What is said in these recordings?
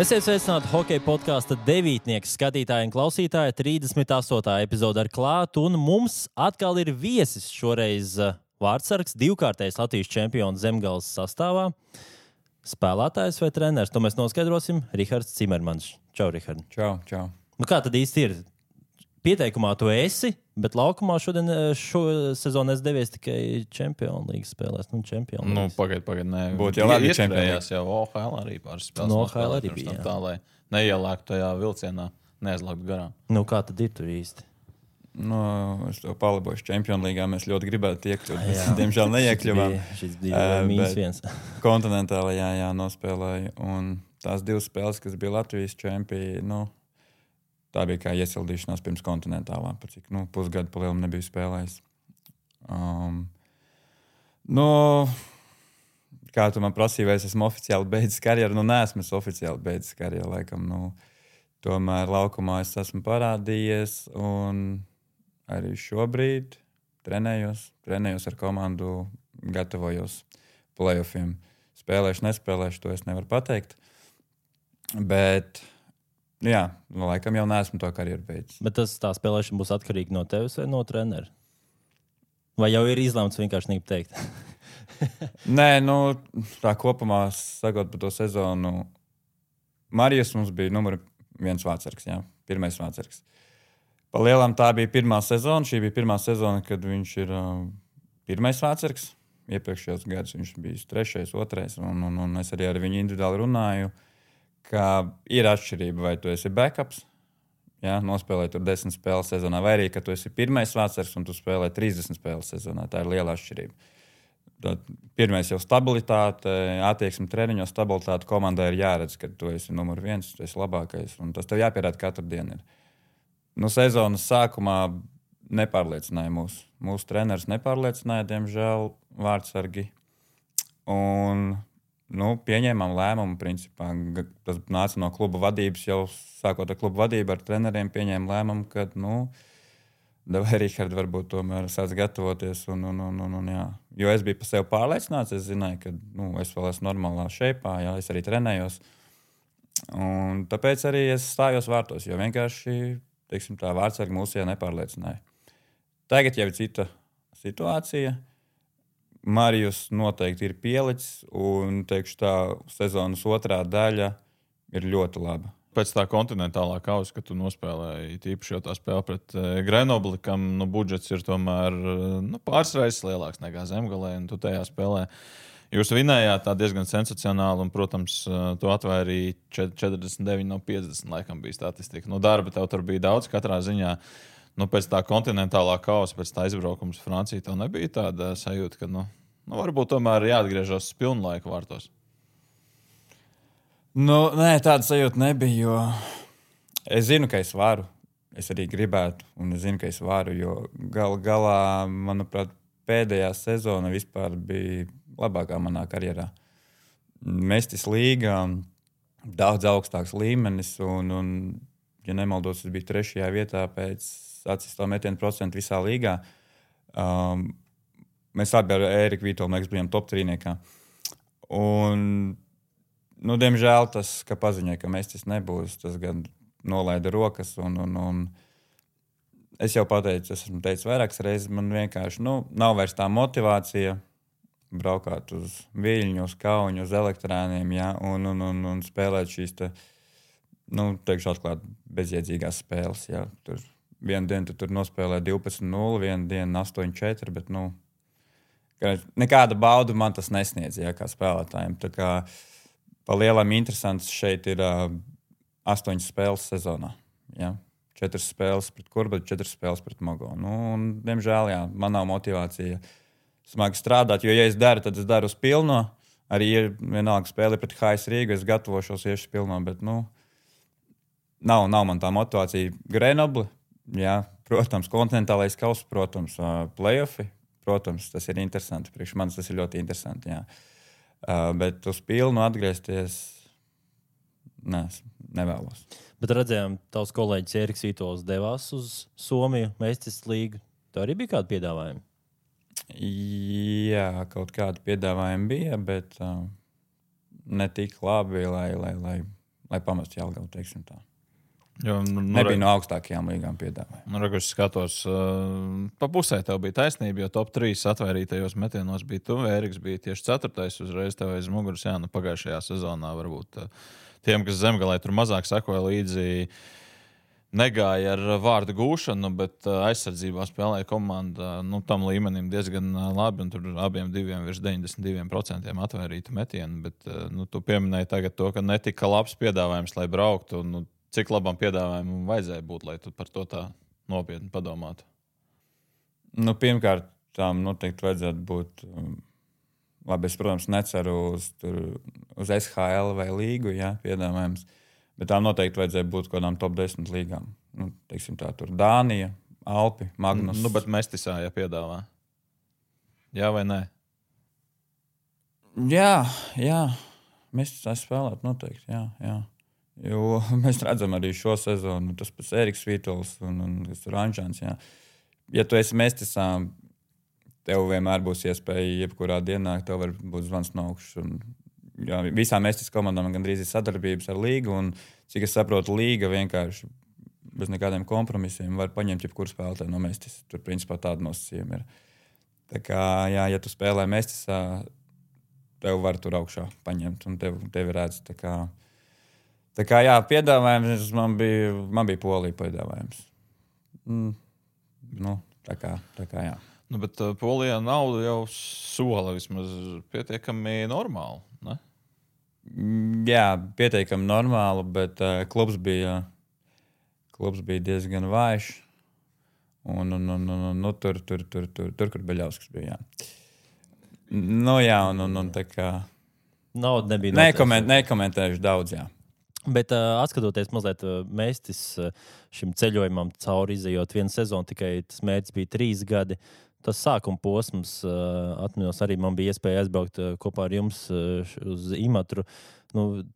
Esiet sveicināti hokeja podkāsta devītnieks skatītāji un klausītāji. 38. epizode ar klātu, un mums atkal ir viesis šoreiz vārdsargs, divkārtais Latvijas čempions Zemgales sastāvā. Spēlētājs vai treneris, to mēs noskaidrosim. Rihards Cimermans. Čau, Rihard. Čau. Nu, kā tad īsti ir? Pieteikumā tu esi, bet laukumā šo sezonu es devies tikai Čempionu līgas spēlēs. Pagaid, nē. Būtu jau labi čempionās jau OHL arī pāris spēles. OHL arī bija, tā, lai neielēktu tajā vilcienā, neaizlāktu garām. Nu, kā tad ir tur īsti? Es to palabošu Čempionu līgā. Mēs ļoti gribētu iekļūt. Mēs, diemžēl, neiekļuvām. Šis bija -1. Kontinentālajā nospēlēju. Un tās divas spēles, kas bija Latvijas čempioni, tā bija kā iesildīšanās pirms kontinentālā. Cik pusgadu palielam nebiju spēlējis. Kā tu man prasīji, vai es esmu oficiāli beidzis karjeru? Neesmu oficiāli beidzis karjeru, laikam. Tomēr laukumā es esmu parādījies un arī šobrīd trenējos ar komandu, gatavojos playoffiem. Spēlēšu, nespēlēšu, to es nevaru pateikt. Bet laikam jau neesmu to karjeru beidzis. Bet tā spēlēšana būs atkarīga no tevis vai no trenera? Vai jau ir izlemts vienkārši negribu teikt? Nē, tā kopumā sakot par to sezonu, Marijs mums bija numur 1 vārdsargs, pirmais vārdsargs. Pa lielam tā bija pirmā sezona. Šī bija pirmā sezona, kad viņš ir pirmais vārdsargs. Iepriekšējos gados viņš bija 3., 2. Un es arī ar viņu individuāli runāju, ka ir atšķirība, vai tu esi backups, nospēlē tur 10 spēles sezonā, vai arī, ka tu esi pirmais vārdsargs un tu spēlē 30 spēles sezonā. Tā ir liela atšķirība. Tad pirmais jau stabilitāte, attieksme treniņos, stabilitāte komandai ir jāredz, ka tu esi numur 1, tu esi labākais, un tas tev jāpierāda katru dienu. Sezonas sākumā nepārliecināja mūs. Mūsu treneris nepārliecināja, diemžēl, vārdsargi. Un pieņēmām lēmumu, principā. Tas nāca no kluba vadības, jau sākot ar kluba vadību, ar treneriem pieņēma lēmumu, ka, davai, Rihard, varbūt tomēr sāc gatavoties. Jo es biju par sevi pārliecināts, es zināju, ka es vēl esmu normālā šeipā, es arī trenējos. Un tāpēc arī es stājos vārtos, jo vienkārši, tā vārdsargi mūsijā nepārliecināja. Tagad jau ir cita situācija. Marijs noteikti ir pielicis, un tā sezonas otrā daļa ir ļoti laba. Pēc tā kontinentālā kausa, kad tu nospēlēji tīpaši jau tā spēle pret Grenobli, kam budžets ir tomēr pāris reizes lielāks nekā Zemgalē, un tu tajā spēlē. Jūs vinējāt tā diezgan sensacionāli, un, protams, tu atvēri 49 no 50, laikam bija statistika. Darba tev tur bija daudz katrā ziņā. Pēc tā kontinentālā kausa, pēc tā izbraukums Francija, tev nebija tāda sajūta, ka varbūt tomēr jāatgriežas uz pilnu laiku vārtos? Nē, tāda sajūta nebija, jo es zinu, ka es varu. Es arī gribētu, un es zinu, ka es varu, jo galā, manuprāt, pēdējā sezona vispār bija labākā manā karjerā. Mestis līga, daudz augstāks līmenis, un ja nemaldos, es biju 3. vietā pēc atsistā metienu procentu visā līgā. Mēs abi ar Ēriku Vītolu bijām top 3. Un, diemžēl tas, ka paziņoja, ka Mestis nebūs, tas gan nolaida rokas. Un es jau pateicu, esmu teicis vairākas reizes, man vienkārši nav vairs tā motivācija braukāt uz Viļņu, uz Kauņu, uz Elektrāniem, un spēlēt šīs teikšu atklāt bezjēdzīgās spēles. Tur vienu dienu tu tur nospēlē 12-0, vienu dienu 8-4, bet nekāda bauda man tas nesniedz, kā spēlētājiem. Tā kā pa lielam interesants šeit ir 8 spēles sezonā. 4 spēles pret Kurbu, 4 spēles pret Mogo. Diemžēl, man nav motivācija smagi strādāt, jo, ja es daru, tad es daru uz pilno. Arī ir vienalga spēle pret HS Rīgu, es gatavošos iešu pilno, bet, nav man tā motivācija. Grenobli, protams, kontinentālais kauss, protams, playoffi, protams, tas ir interesanti. Priekš manis tas ir ļoti interesanti, bet uz pilnu atgriezties nevēlos. Bet redzējām, tavs kolēģis Ēriks Vītols devās uz Somiju, Mestis līgu. Tā arī bija kāda piedāvājuma? Jā, kaut kādi piedāvājumi bija, bet ne tik labi, lai lai pamestu Jelgavu, teiksim tā. Jo, Nebija no augstākajām līgām piedāvājumi. Es skatos, pa pusē tev bija taisnība, jo top 3 atvērtītajos metienos bija tu. Ēriks bija tieši 4. uzreiz tev aiz muguras. Jā, pagājušajā sezonā varbūt tiem, kas Zemgalē tur mazāk sekoja līdzi, negāja ar vārdu gūšanu, bet aizsardzībā spēlēja komanda tam līmenim diezgan labi. Un tur abiem diviem virs 92% atvērīta metienu. Bet tu pieminēji tagad to, ka netika labs piedāvājums, lai brauktu. Cik labam piedāvājumam vajadzēja būt, lai tu par to tā nopietni padomātu? Pirmkārt, tām noteikti vajadzētu būt. Labi, es, protams, neceru uz SHL vai līgu piedāvājums. Bet tām noteikti vajadzēja būt kādām top 10 līgām. Teiksim tā, tur Dānija, Alpi, Magnus. Bet Mestisā, piedāvā. Jā vai nē? Jā. Mestisā spēlēt noteikti, jā. Jo mēs redzam arī šo sezonu, tas pats Ēriks Vītols un Rančāns, jā. Ja tu esi Mestisā, tev vienmēr būs iespēja jebkurā dienā, tev var būt zvans no augšas. Jā, visām Mestis komandām gandrīz ir sadarbības ar līgu, un cik es saprotu, līga vienkārši bez nekādiem kompromisiem var paņemt jebkuru spēlētāju no Mestis. Tur principā tāda nosacījuma ir. Tā kā, jā, ja tu spēlē Mestisā, tev var tur augšā paņemt, un tevi redz. Tā kā jā, piedāvājums man bija Polija piedāvājums. Tā kā jā. Bet Polijā nauda jau sola vismaz pietiekami normāli, ne? Jā, pietiekami normāli, bet klubs bija diezgan vājš. Tur, kur Beļauskas bija, jā. Tā kā... Nauda nebija. Nekomentējuši daudz, jā. Bet atskatoties mazliet Mestis šim ceļojumam cauri izejot vienu sezonu, tikai tas mērķis bija 3 gadi. Tas sākuma posms, atminos, arī man bija iespēja aizbraukt kopā ar jums uz Imatru.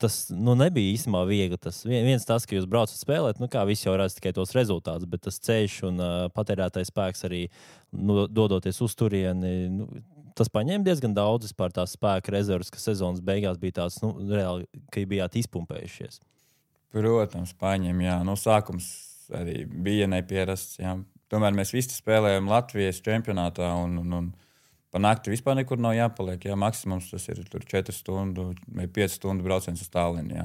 Tas nebija īstenībā viegli. Viens tas, ka jūs braucat spēlēt, kā visi jau redz tikai tos rezultātus, bet tas ceļš un patērētais spēks arī dodoties uz turieni, tas paņēma diezgan daudz vispār tās spēka rezervas, ka sezonas beigās bija tāds, reāli, ka bijāt izpumpējušies. Protams, paņēma, jā. Sākums arī bija neparasts, jā. Tomēr mēs visi spēlējam Latvijas čempionātā un pa nakti vispār nekur nav jāpaliek. Jā, maksimums tas ir 4 stundu vai 5 stundu brauciens uz Tallinu. Jā.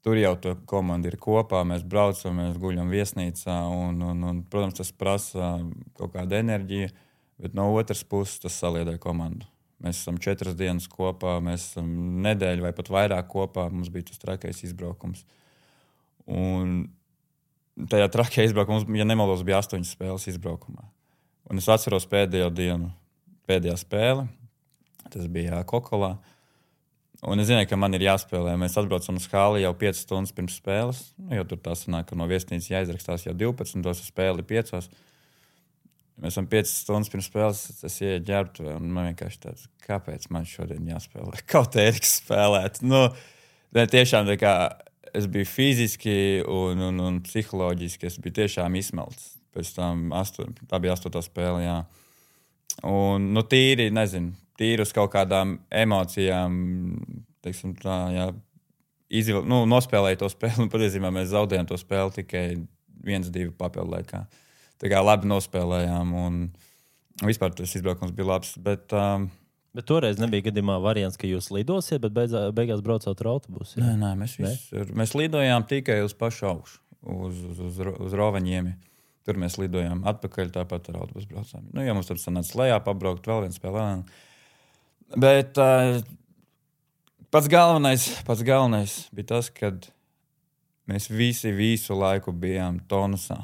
Tur jau tā komanda ir kopā, mēs braucam, mēs guļam viesnīcā un protams, tas prasa kaut kādu enerģiju, bet no otras puses tas saliedē komandu. Mēs esam 4 dienas kopā, mēs esam nedēļu vai pat vairāk kopā, mums bija tas trakais izbraukums. Un tajā trakajā izbraukumā, ja nemaldos, bija 8 spēles izbraukumā. Un es atceros pēdējo dienu, pēdējā spēle, tas bija Kokolā. Un es zināju, ka man ir jāspēlē. Mēs atbraucam uz hali jau 5 stundas pirms spēles, jo tur tā sanāk, ka no viesnīcas jāizrakstās jau 12, tos spēli 5. Mēs esam 5 stundas pirms spēles, es ieeju ģērbtuvē, un man vienkārši tāds, kāpēc man šodien jāspēlē? Kaut Ēriks spēlēt. Tiešām tā kā es biju fiziski un psiholoģiski, es biju tiešām izsmelts. Pēc tam tā bija 8. spēle, jā. Un, tīri uz kaut kādām emocijām, teiksim tā, jā, nospēlēju to spēli, un patiesībā mēs zaudējām to spēli tikai 1-2 papildu laikā. Tā kā labi nospēlējām, un vispār tas izbraukums bija labs, bet toreiz nebija gadījumā variants, ka jūs lidosiet, bet beigās braucāt ar autobusu. Nē, mēs lidojām tikai uz pašu augšu, uz Rovaņiemi. Tur mēs lidojām atpakaļ, tāpat ar autobusu braucām. Ja mums tad sanāca lejā pabraukt, vēl viens spēlē. Bet pats galvenais bija tas, kad mēs visi visu laiku bijām tonusā.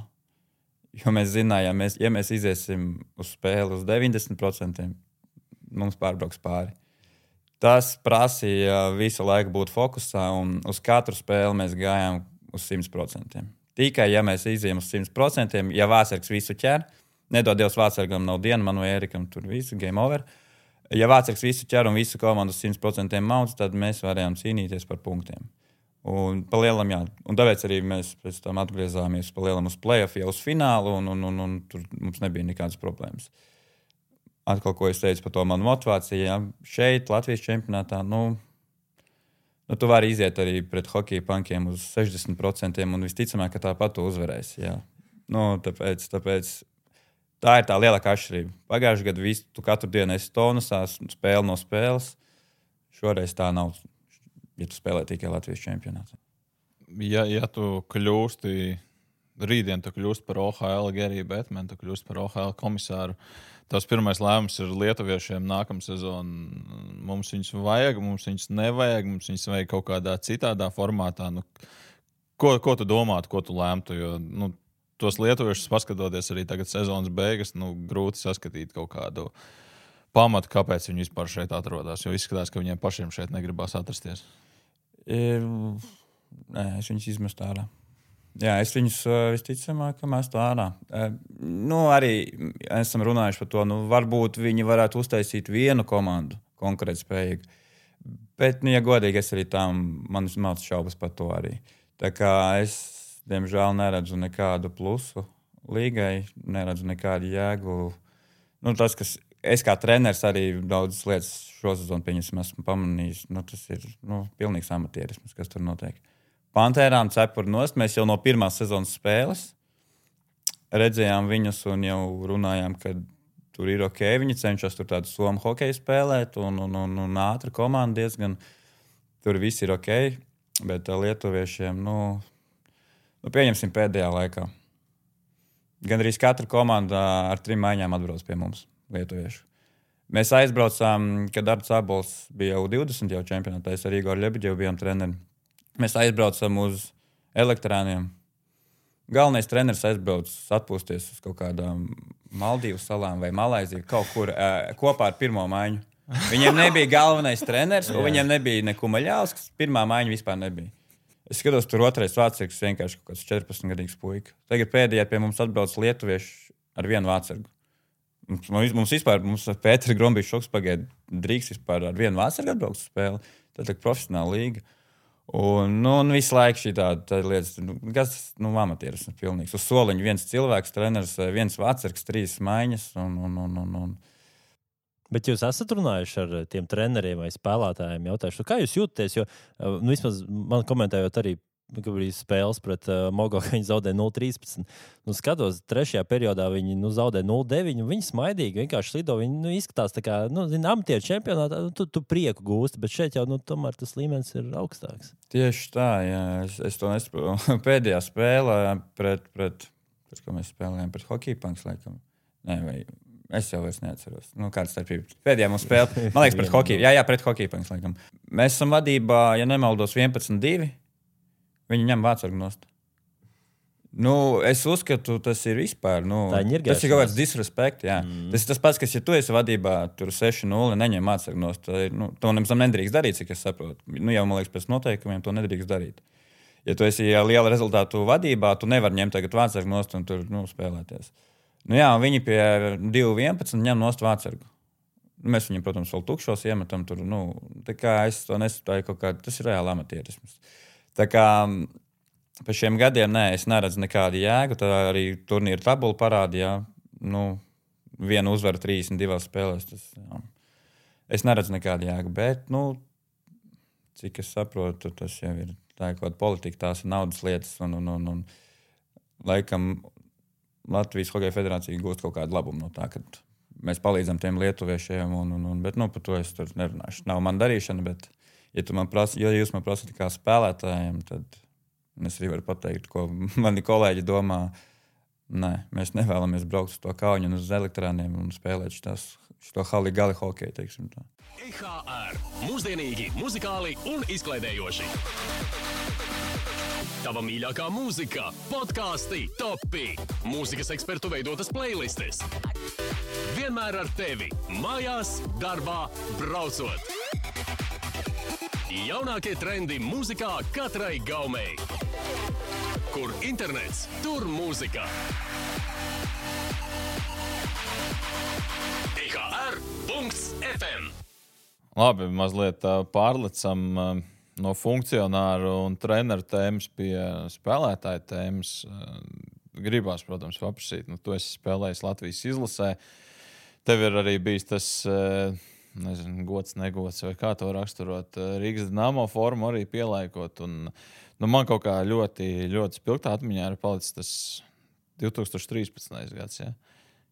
Jo mēs zinājām, ja mēs iziesim uz spēli uz 90%, mums pārbrauks pāri. Tas prasīja visu laiku būt fokusā, un uz katru spēli mēs gājām uz 100%. Tikai, ja mēs izējām uz 100%, ja Vācargs visu ķer, nedod Dievs Vācargam nav diena, man vai Ērikam tur visu, game over. Ja Vācargs visu ķer un visu komandu uz 100% maudz, tad mēs varējām cīnīties par punktiem. Un palielam, jā. Un tāpēc arī mēs pēc tam atgriezāmies palielam uz play-off, jau uz finālu, un tur mums nebija nekādas problēmas. Atkal, ko es teicu par to manu motivāciju, jā. Šeit, Latvijas čempionātā, Nu, tu vari iziet arī pret hokeja pankiem uz 60% un visticamāk, ka tāpat tu uzvarēsi. Jā. Nu, tāpēc tā ir tā lielākā atšķirība. Pagājušajā gadā tu katru dienu esi tonusā, spēle no spēles. Šoreiz tā nav, ja tu spēlē tikai Latvijas čempionātā. Ja tu kļūsti, rītdien tu kļūsti par OHL Geriju Betmenu, tu kļūsti par OHL komisāru, tavs pirmais lēmums ir lietuviešiem nākamā sezona. Mums viņus vajag, mums viņus nevajag, mums viņus vajag kaut kādā citādā formātā. Nu, ko tu domātu, ko tu lēmtu? Jo, tos lietuviešus paskatoties arī tagad sezonas beigas, grūti saskatīt kaut kādu pamatu, kāpēc viņi vispār šeit atrodas. Jo izskatās, ka viņiem pašiem šeit negribas atrasties. Nē, es viņus izmestu ārā. Jā, es viņus visticamāk mestu ārā. Arī esam runājuši par to, varbūt viņi varētu uztaisīt vienu komandu konkurētspējīgu. Bet, ja godīgi, es arī man ir šaubas par to arī. Tā kā es, diemžēl, neredzu nekādu plusu līgai, neredzu nekādu jēgu. Tas, kas es kā treneris arī daudzas lietas šo sezonu esmu pamanījis, tas ir pilnīgs amatierisms, kas tur notiek. Pantērām cepuri nost. Mēs jau no pirmās sezonas spēles redzējām viņus un jau runājām, ka tur ir ok. Viņi cenšas tur tādu somu hokeju spēlēt un ātri komanda diezgan. Tur viss ir ok. Bet lietuviešiem, pieņemsim pēdējā laikā. Gan arī katra komanda ar 3 maiņām atbrauc pie mums, lietuviešu. Mēs aizbraucām, kad Arts Abols bija jau 20 jau čempionātā. Es ar Igoru Ļebeģevu bijām treneri. Mēs aizbraucam uz Elektrāniem. Galvenais treneris aizbrauc atpūsties uz kaut kādām Maldīvu salām vai Malaiziju, kaut kur kopā ar pirmo maiņu. Viņiem nebija galvenais treneris, un viņiem nebija ne Kumaļauskas. Pirmā maiņa vispār nebija. Es skatos, tur otrais vārtsargs vienkārši kaut kāds 14-gadīgs puika. Tagad pēdējā pie mums atbrauc lietuvieši ar vienu vārtsargu. Mums Pēters Grombišs šoks pagaida drīkst vispār ar vienu vārtsargu atbraukt uz spēli. Tā ir profesionāla līga. Un visu laiku šī tāda lietas, kas amatierisms pilnīgs. Uz soliņa viens cilvēks, treneris, viens vārtsargs, 3 maiņas. Bet jūs esat runājuši ar tiem treneriem vai spēlētājiem, jautājuši, kā jūs jūtaties? Jo vismaz man komentējot arī, ka bija spēles pret Mogo, ka viņi zaudēja 0-13. Skatos, 3. periodā viņi zaudēja 0-9. Viņi smaidīgi vienkārši slido. Viņi izskatās tā kā, amatieru čempionātā, tu prieku gūsti, bet šeit jau tomēr tas līmenis ir augstāks. Tieši tā, jā. Es to nesaprotu. Pēdējā spēlē pret ko mēs spēlējām, pret hokeja panks, laikam. Nē, vai es jau vairs neatceros. Kāda starpība? Pēdējā mums spēle, man liekas, pret hokeja. Jā, pret hokeja panks, laikam. Mēs esam vadībā, ja nemaldos, 11-2. Viņi ņem vārtsargu nost. Es uzskatu, tas ir vispār. Tas ir kaut kāds disrespekt. Tas ir tas pats, kas, ja tu esi vadībā, tur 6-0, neņem vārtsargu nost. To nemaz nedrīkst darīt, cik es saprotu. Jau, man liekas, pēc noteikumiem to nedrīkst darīt. Ja tu esi liela rezultātu vadībā, tu nevari ņemt tagad vārtsargu nost un tur spēlēties. Viņi pie 2-11 ņem nost vārtsargu. Mēs viņam, protams, vēl tukšos iemetam tur. Tā kā es to nesaprotu, kaut kā tas ir reāli amatierisms. Tā kā pēc šiem gadiem es neredzu nekādu jēgu. Tā arī turnīra tabula parādīja. Vienu uzvaru 32 spēlēs. Es neredzu nekādu jēgu. Bet, cik es saprotu, tas jau ir tā kaut kāda politika, tās ir naudas lietas. Un laikam Latvijas Hokeja Federācija gūst kaut kādu labumu no tā, ka mēs palīdzam tiem lietuviešiem. Bet par to es tur nerunāšu. Nav man darīšana, bet ja jūs man prasat kā spēlētājiem, tad es arī varu pateikt, ko mani kolēģi domā. Nē, mēs nevēlamies braukt uz to Kauņu un uz Elektrāniem un spēlēt šo hali-gali hokeju, teiksim tā. IHR. Mūsdienīgi, muzikāli un izklaidējoši. Tava mīļākā mūzika, podkāsti, topi, mūzikas ekspertu veidotas playlistes. Vienmēr ar tevi, mājās, darbā, braucot. Jaunākie trendi mūzikā katrai gaumei. Kur internets, tur mūzika. IHR.FM. Labi, mazliet pārlecam no funkcionāru un treneru tēmas pie spēlētāju tēmas. Gribās, protams, paprasīt. Tu esi spēlējis Latvijas izlasē. Tev ir arī bijis tas nezinu, gods, negods, vai kā to raksturot. Rīgas Dinamo formu arī pielaikot. Un, man kaut kā ļoti, ļoti spilgtā atmiņā ir palicis tas 2013. gads, ja?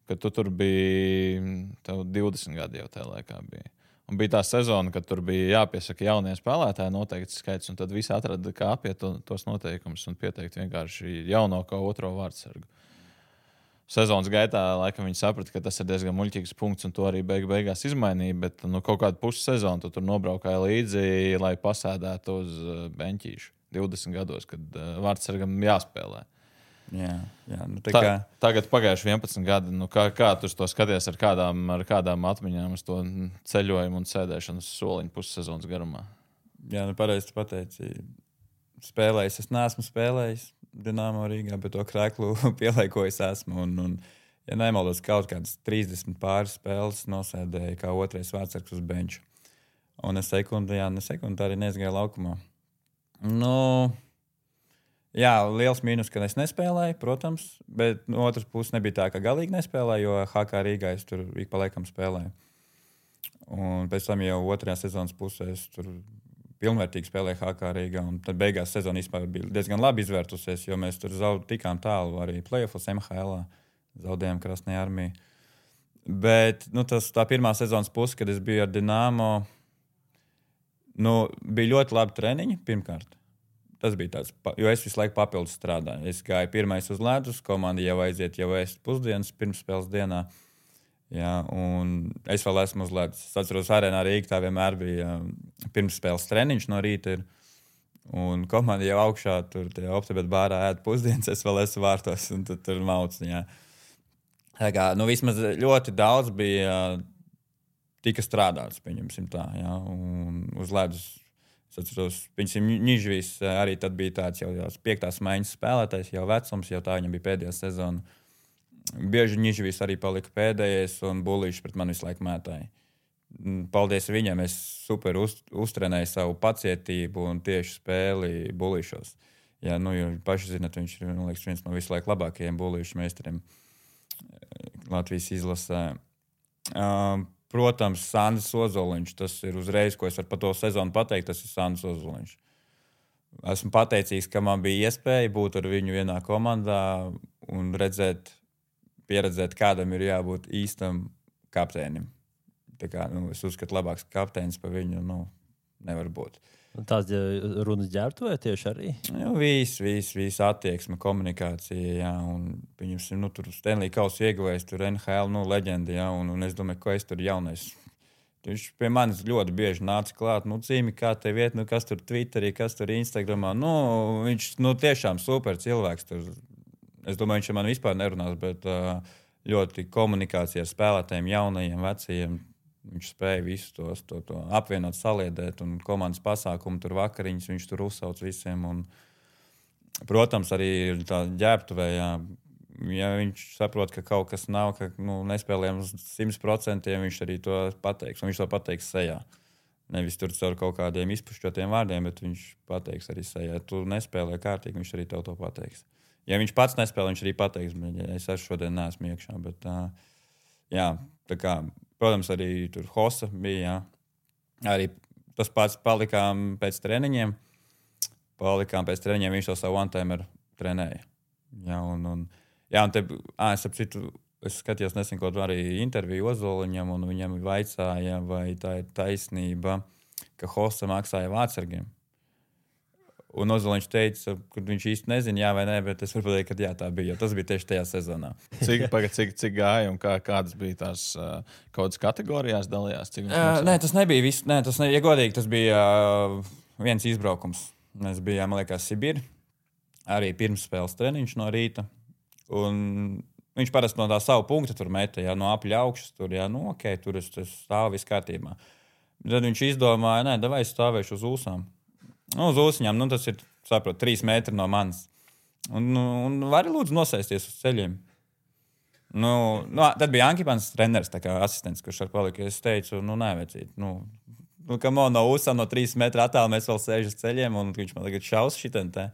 Kad tu tur biji, tev 20 gadi jau tajā laikā bija. Un bija tā sezona, kad tur bija jāpiesaka jaunie spēlētāji noteikts skaits, un tad visi atrada, kā apiet tos noteikumus un pieteikt vienkārši jauno kā otro vārdsargu. Sezonas gaitā laikam viņi saprata, ka tas ir diezgan muļķīgs punkts, un to arī beigās izmainīja, bet kaut kādu pussezonu tu tur nobraukāja līdzi, lai pasēdētu uz beņķīšu 20 gados, kad vārdsargam jāspēlē. Jā, Tagad pagājuši 11 gadi. Kā tu to skaties ar kādām atmiņām uz to ceļojumu un sēdēšanu soliņu pussezonas garumā? Jā, pareizi tu pateici. Spēlējis, es neesmu spēlējis Dinamo Rīgā, bet to kreklu pielaikojis esmu. Un, ja nemaldos, kaut kādas 30 pāris spēles nosēdēju kā otrais vārdsargs uz benču. Un es sekundi arī neizgāju laukumā. Jā, liels mīnus, ka es nespēlēju, protams, bet no otras puses nebija tā, ka galīgi nespēlēju, jo HK Rīgā es tur ik pa laikam spēlēju. Un pēc tam jau otrajā sezonas pusē es tur pilnvērtīgi spēlēju HK Rīgā, un tad beigās sezona vispār bija diezgan labi izvērtusies, jo mēs tur tikām tālu arī play-offos MHL-ā, zaudējām Krasnajā Armijā. Bet tā pirmā sezonas puse, kad es biju ar Dinamo, bija ļoti labi treniņi pirmkārt. Tas bija tāds, jo es visu laiku papildus strādāju. Es gāju pirmais uz ledus, komanda jau aiziet jau ēst pusdienas pirms spēles dienā. Jā, un es vēl esmu uz ledus. Es atceros, Arēnā Rīga tā vienmēr bija pirms spēles treniņš no rīta. Un komanda jau augšā tur Optibet bārā ēd pusdienas, es vēl esmu vārtos un tur mauc. Jā. Tā kā, vismaz ļoti daudz bija tika strādāts, pieņemsim tā. Jā, un uz ledus. Es atceros, Nižvīs arī tad bija tāds jau 5. maiņas spēlētājs, jau vecums, jau tā viņam bija pēdējā sezona. Bieži Nižvīs arī palika pēdējais, un Bulīši pret mani visu laiku mētāja. Paldies viņam, es super uztrenēju savu pacietību un tieši spēli Bulīšos. Jā, jo paši zināt, viņš ir viens no visu laiku labākajiem Bulīšu meistariem Latvijas izlasē. Protams, Sandis Ozoliņš, tas ir uzreiz, ko es varu par to sezonu pateikt, tas ir Sandis Ozoliņš. Esmu pateicīgs, ka man bija iespēja būt ar viņu vienā komandā un pieredzēt, kādam ir jābūt īstam kapteinim. Tā kā, es uzskatu, labāks kapteinis par viņu nevar būt. Tās runas ģērbtuvē tieši arī? Viss attieksme, komunikācija, jā, un viņam tur Stanley Kausa ieguvējis, tur NHL, leģenda, jā, un es domāju, ko es tur jaunais. Viņš pie manis ļoti bieži nāca klāt, Cīmi, kā tev iet, kas tur Twitterī, kas tur Instagramā, viņš, tiešām super cilvēks tur. Es domāju, viņš ar mani vispār nerunās, bet ļoti komunikācija ar spēlētājiem, jaunajiem, vecajiem. Viņš spēja visu to apvienot, saliedēt, un komandas pasākumu, tur vakariņas, viņš tur uzsauc visiem. Un, protams, arī tā ģērbtuvē, ja viņš saprot, ka kaut kas nav, ka nespēlējam uz 100%, viņš arī to pateiks, un viņš to pateiks sejā. Nevis tur caur kaut kādiem izpušķotiem vārdiem, bet viņš pateiks arī sejā. Tu nespēlē kārtīgi, viņš arī tev to pateiks. Ja viņš pats nespēlē, viņš arī pateiks, bet es šodien neesmu iekšā. Bet, tā kā... Protams, arī tur Hosa bija. Jā. Arī tas pats palikām pēc treniņiem. Viņš to savu one-timer trenēja. Jā, un es skatījos nesen kaut arī interviju Ozoliņam, un viņam vaicāja, vai tā ir taisnība, ka Hosa maksāja vārdsargiem. Un Ozoliņš teica, ka viņš īsti nezina, jā vai nē, bet es varu pateikt, ka jā, tā bija, jo tas bija tieši tajā sezonā. Cik gāja un kādas bija tās kaut kādas kategorijās dalījās? Nē, tas nebija viss. Ja godīgi, tas bija viens izbraukums. Mēs bijām, man liekas, Sibīri. Arī pirms spēles treniņš no rīta. Un viņš parasti no tā savu punktu tur meta, no apļa augšas. Tur, tur es stāvu viss kārtībā. Tad viņš izdomāja, davai stāvēšu uz ūsām. Uz ūsiņām, tas ir, 3 metri no manis. Un vari lūdzu nosēsties uz ceļiem. Tad bija Ankipans treneris, tā kā asistents, kurš ar palika. Es teicu, nevajadzīt. Kam no ūsām no 3 metru attālu mēs vēl sēžam uz ceļiem, un viņš man tagad šaus šitien te.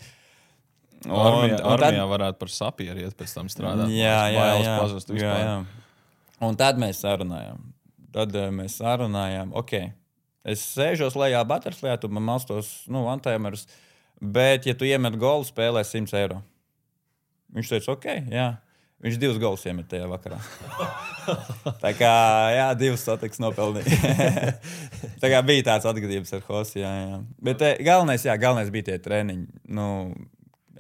Armijā varētu par sapieru iet pēc tam strādāt. Jā. Un tad mēs sarunājām. Tad mēs sarunājām, es sēžos lejā butterflyā, tu man malstos, one-timerus, bet, ja tu iemet golu, spēlē 100 eiro. Viņš teica, jā. Viņš 2 golus iemet tajā vakarā. Tā kā, 2 satiks nopelnīja. Tā kā bija tāds atgadījums ar Hosi, jā. Bet galvenais bija tie treniņi.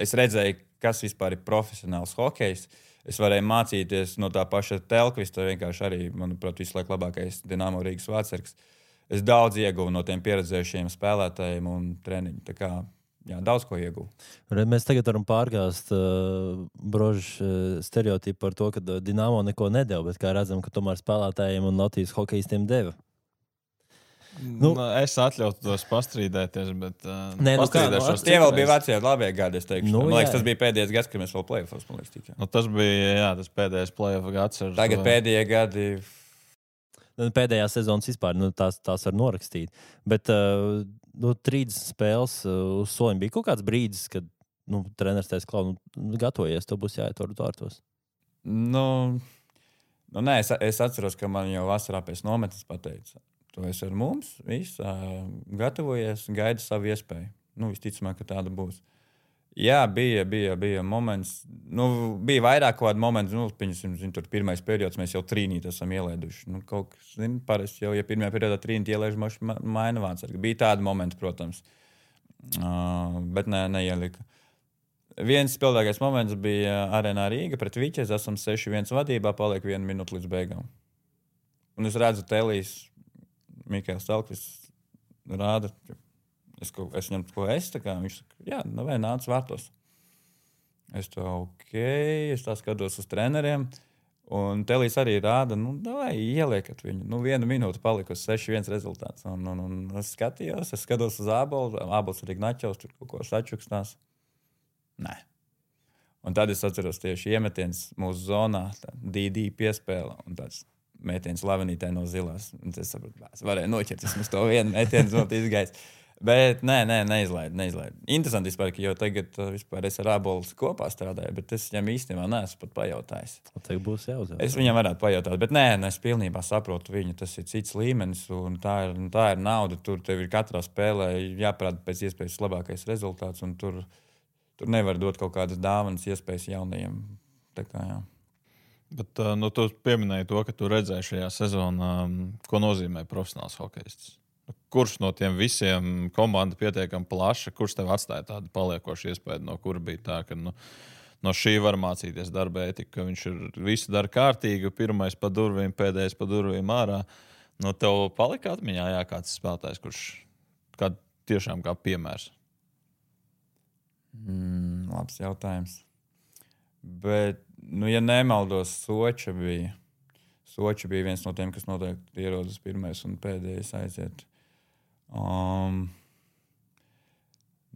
Es redzēju, kas vispār ir profesionāls hokejs. Es varēju mācīties no tā paša Telkvista, vienkārši arī, manuprāt, visu laiku labākais Dinamo Rīgas vārtsargs. Es daudz ieguvu no tiem pieredzējušiem spēlētājiem un treniņu. Tā kā, daudz ko ieguvu. Mēs tagad varam pārgāzt brožu stereotipu par to, ka Dinamo neko nedeva, bet kā redzam, ka tomēr spēlētājiem un Latvijas hokejistiem deva. Es atļautu tos pastrīdēties, bet pastrīdēšos. Tie vēl bija vecie labie gadi, es teikšu. Man liekas, tas bija pēdējais gads, kad mēs vēl play-offs, man liekas, tikai. Tas bija, tas pēdējais play-off gads. Tagad pēdējie gadi... Pēdējās sezonas vispār, tās var norakstīt. Bet 30 spēles uz soliņa bija kaut kāds brīdis, kad treneris teica, Klau, gatavojies, to būs jāiet vārtos. Nē, es atceros, ka man jau vasarā pēc nometnes pateica. Tu esi ar mums, gatavojies, gaidi savu iespēju. Visticamāk, ka tāda būs. Jā, bija moments. Bija vairāk kādi momenti. Piemēram, tur pirmais periods mēs jau trīnīt esam ielēduši. Kaut kas, parasti jau, ja pirmajā periodā trīnīt ielēž, maina vārdsargi. Bija tādi momenti, protams. Bet neielika. Viens spēlētākais moments bija Arēnā Rīga pret Viķezi. Esam 6-1 vadībā, paliek 1 minūte līdz beigām. Un es redzu Telijas, Mikēls Telkvis rāda, es viņam tā kā viņš saka, nāc vārtos. Es tā skatos uz treneriem, un Telijas arī rāda, ieliekat viņu. 1 minūte palika uz 6-1 rezultāts. Un es skatos uz Ābolu, Ābols arī Gnaķovs, tur kaut ko sačukstās. Nē. Un tad es atceros tieši iemetiens mūsu zonā, DD piespēle, un tāds metiens lavenītē no zilās. Un es sapratu, es varēju noķert vismaz to vienu metienu, zot izgājis. Bet neizlaidu. Interesanti vispār, jo tagad vispār es ar Ābolu kopā strādāju, bet es viņam īstenībā neesmu pat pajautājis. Tagad būs jāuzdod. Es viņam varētu pajautāt, bet es pilnībā saprotu viņu. Tas ir cits līmenis un tā ir nauda. Tur tev ir katrā spēlē jāparāda pēc iespējas labākais rezultāts, un tur nevar dot kaut kādas dāvanas iespējas jaunajiem. Tā kā, jā. Bet tu pieminēji to, ka tu redzēji šajā sezonā, ko nozīmē profesionāls hokejists. Kurš no tiem visiem komanda pietiekami plaša, kurš tev atstāja tādu paliekošu iespēju, no kura bija tā, ka no šī var mācīties darba ētika, ka viņš ir visu dara kārtīgi, pirmais pa durvīm, pēdējais pa durvīm ārā. Tev palika atmiņā, kāds spēlētājs, kurš tiešām kā piemērs? Labs jautājums. Bet, ja nemaldos, Soča bija viens no tiem, kas noteikti ierodas pirmais un pēdējais aiziet.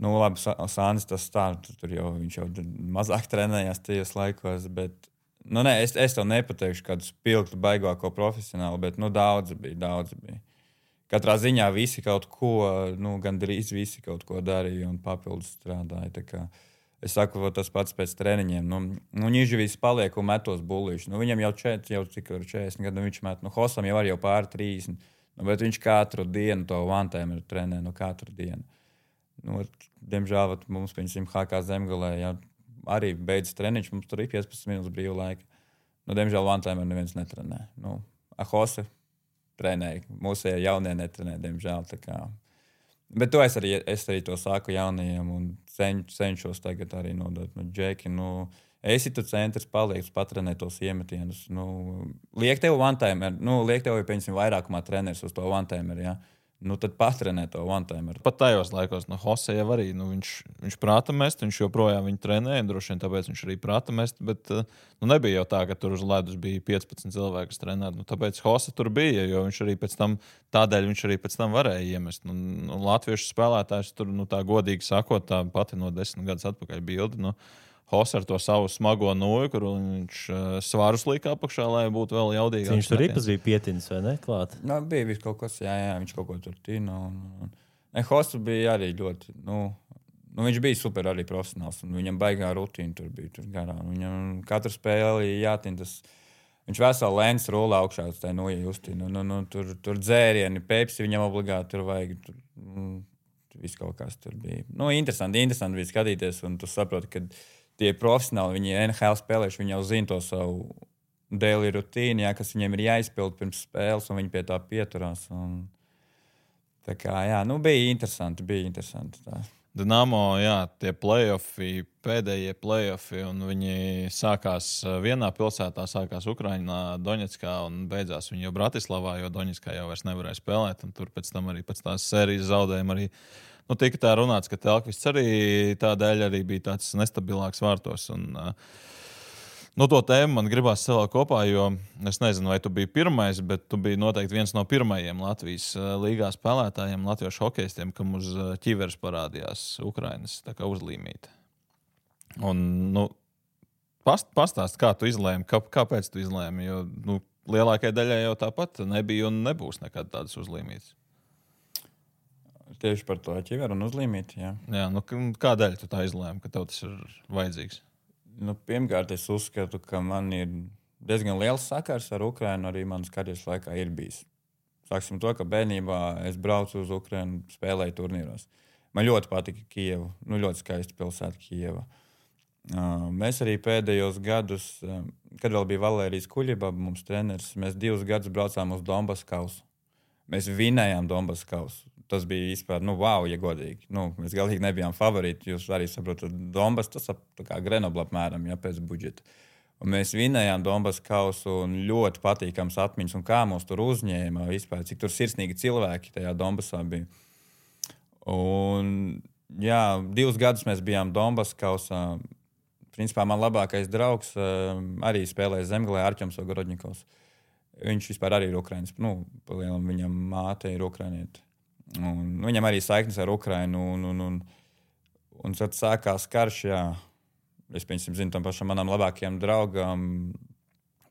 Labi, Sānis tas tā, viņš jau mazāk trenējās tajos laikos, bet, es tev nepateikšu kādu spilgtu baigāko profesionālu, bet, daudzi bija. Katrā ziņā visi kaut ko, gandrīz visi kaut ko darīja un papildus strādāja, tā kā. Es saku, tas pats pēc treniņiem. Nižvīs paliek un metos bullīši. Viņam jau 40 gadu, viņš met. Hosam jau arī pāri 30. Bet viņš katru dienu to one-timer trenē, katru dienu. Diemžēl mums, piemēram, HK Zemgalē, arī beidzas treniņš, mums tur ir 15 minūtes brīva laika. Diemžēl one-timer neviens netrenē. Hosa trenēja, mūsējie jaunie netrenē, diemžēl. Tā kā. Bet to es arī to saku jaunajiem un cenšos tagad arī nodot. Džeki, esi tu centrs, paliek, patrenē tos iemetienus. Liek tev one-timer, liek tev, piemēram, vairākumā treneris uz to one-timer, jā. Tad patrenē to one-timer. Pat tajos laikos, Hose jau arī, viņš prāta mest, viņš joprojām viņu trenē, droši vien tāpēc viņš arī prāta mest, bet nebija jau tā, ka tur uz ledus bija 15 cilvēki, kas trenētu. Tāpēc Hose tur bija, jo viņš arī pēc tam varēja iemest. Latviešu spēlētājs tur, tā godīgi sakot, tā pati no 10 gadus atpakaļ bildi, Hose ar to savu smago noju, kur viņš svarus lika apakšā, lai būtu vēl jaudīgāks. Viņš tur ripas bija pietinis, vai ne? Klāt? Bija viss kaut kas, jā, viņš kaut ko tur tīna. Hose bija arī ļoti, viņš bija super arī profesionāls, un viņam baigā rutīna tur bija tur garā. Viņam katru spēli jātīna tas Viņš veselu lēns rulā augšā uz tā nojusti. Tur dzērieni, Pepsi viņam obligāti tur vajag. Viss kaut kas tur bija. Interesanti bija skatīties, un tu saproti, ka tie profesionāli, viņi NHL spēlējuši, viņi jau zina to savu daily rutīnu, kas viņiem ir jāizpild pirms spēles, un viņi pie tā pieturās. Tā kā, bija interesanti. Tā. Dinamo, tie pēdējie play-offi, un viņi sākās vienā pilsētā, sākās Ukrainā, Doņetskā, un beidzās viņi jau Bratislavā, jo Doņetskā jau vairs nevarēja spēlēt, un tur pēc tam arī pēc tās sērijas zaudējuma arī, tika tā runāts, ka Telkvists arī tādēļ arī bija tāds nestabilāks vārtos, un to tēmu man gribās savā kopā, jo es nezinu, vai tu biji pirmais, bet tu biji noteikti viens no pirmajiem Latvijas līgā spēlētājiem, latviešu hokejistiem, kam uz ķiveres parādījās Ukrainas uzlīmīte. Un, pastāst, kā tu izlēmi, kāpēc tu izlēmi, jo lielākajai daļai jau tāpat nebija un nebūs nekad tādas uzlīmītes. Tieši par to ķiveru un uzlīmīti, jā. Jā, kādēļ tu tā izlēmi, ka tev tas ir vajadzīgs? Pirmkārt, es uzskatu, ka man ir diezgan liels sakars ar Ukrainu, arī manas karjeras laikā ir bijis. Sāksim to, ka bērnībā es braucu uz Ukrainu, spēlēju turnīros. Man ļoti patika Kijeva, ļoti skaista pilsēta Kijeva. Mēs arī pēdējos gadus, kad vēl bija Valērijas Kuļibaba, mums treneris, mēs 2 gadus braucām uz Donbas kausu. Mēs vinējām Donbas kausu. Tas bija vispār, wow, ja godīgi. Mēs galīgi nebijām favorīti. Jūs arī saprotat, Donbas tas kā Grenobla apmēram, pēc budžeta. Un mēs vinējām Donbas kausu un ļoti patīkams atmiņas. Un kā mūs tur uzņēma vispār, cik tur sirsnīgi cilvēki tajā Donbasā bija. Un, 2 gadus mēs bijām Donbas kausā. Principā man labākais draugs arī spēlēja Zemgalē, Arķems Ogorodņikovs. Viņš vispār arī ir Ukrainas. Viņam māte ir ukrainiete. Un viņam arī saiknes ar Ukrainu. Un tad sākās karš. Es zinu, tam pašam manam labākajam draugam,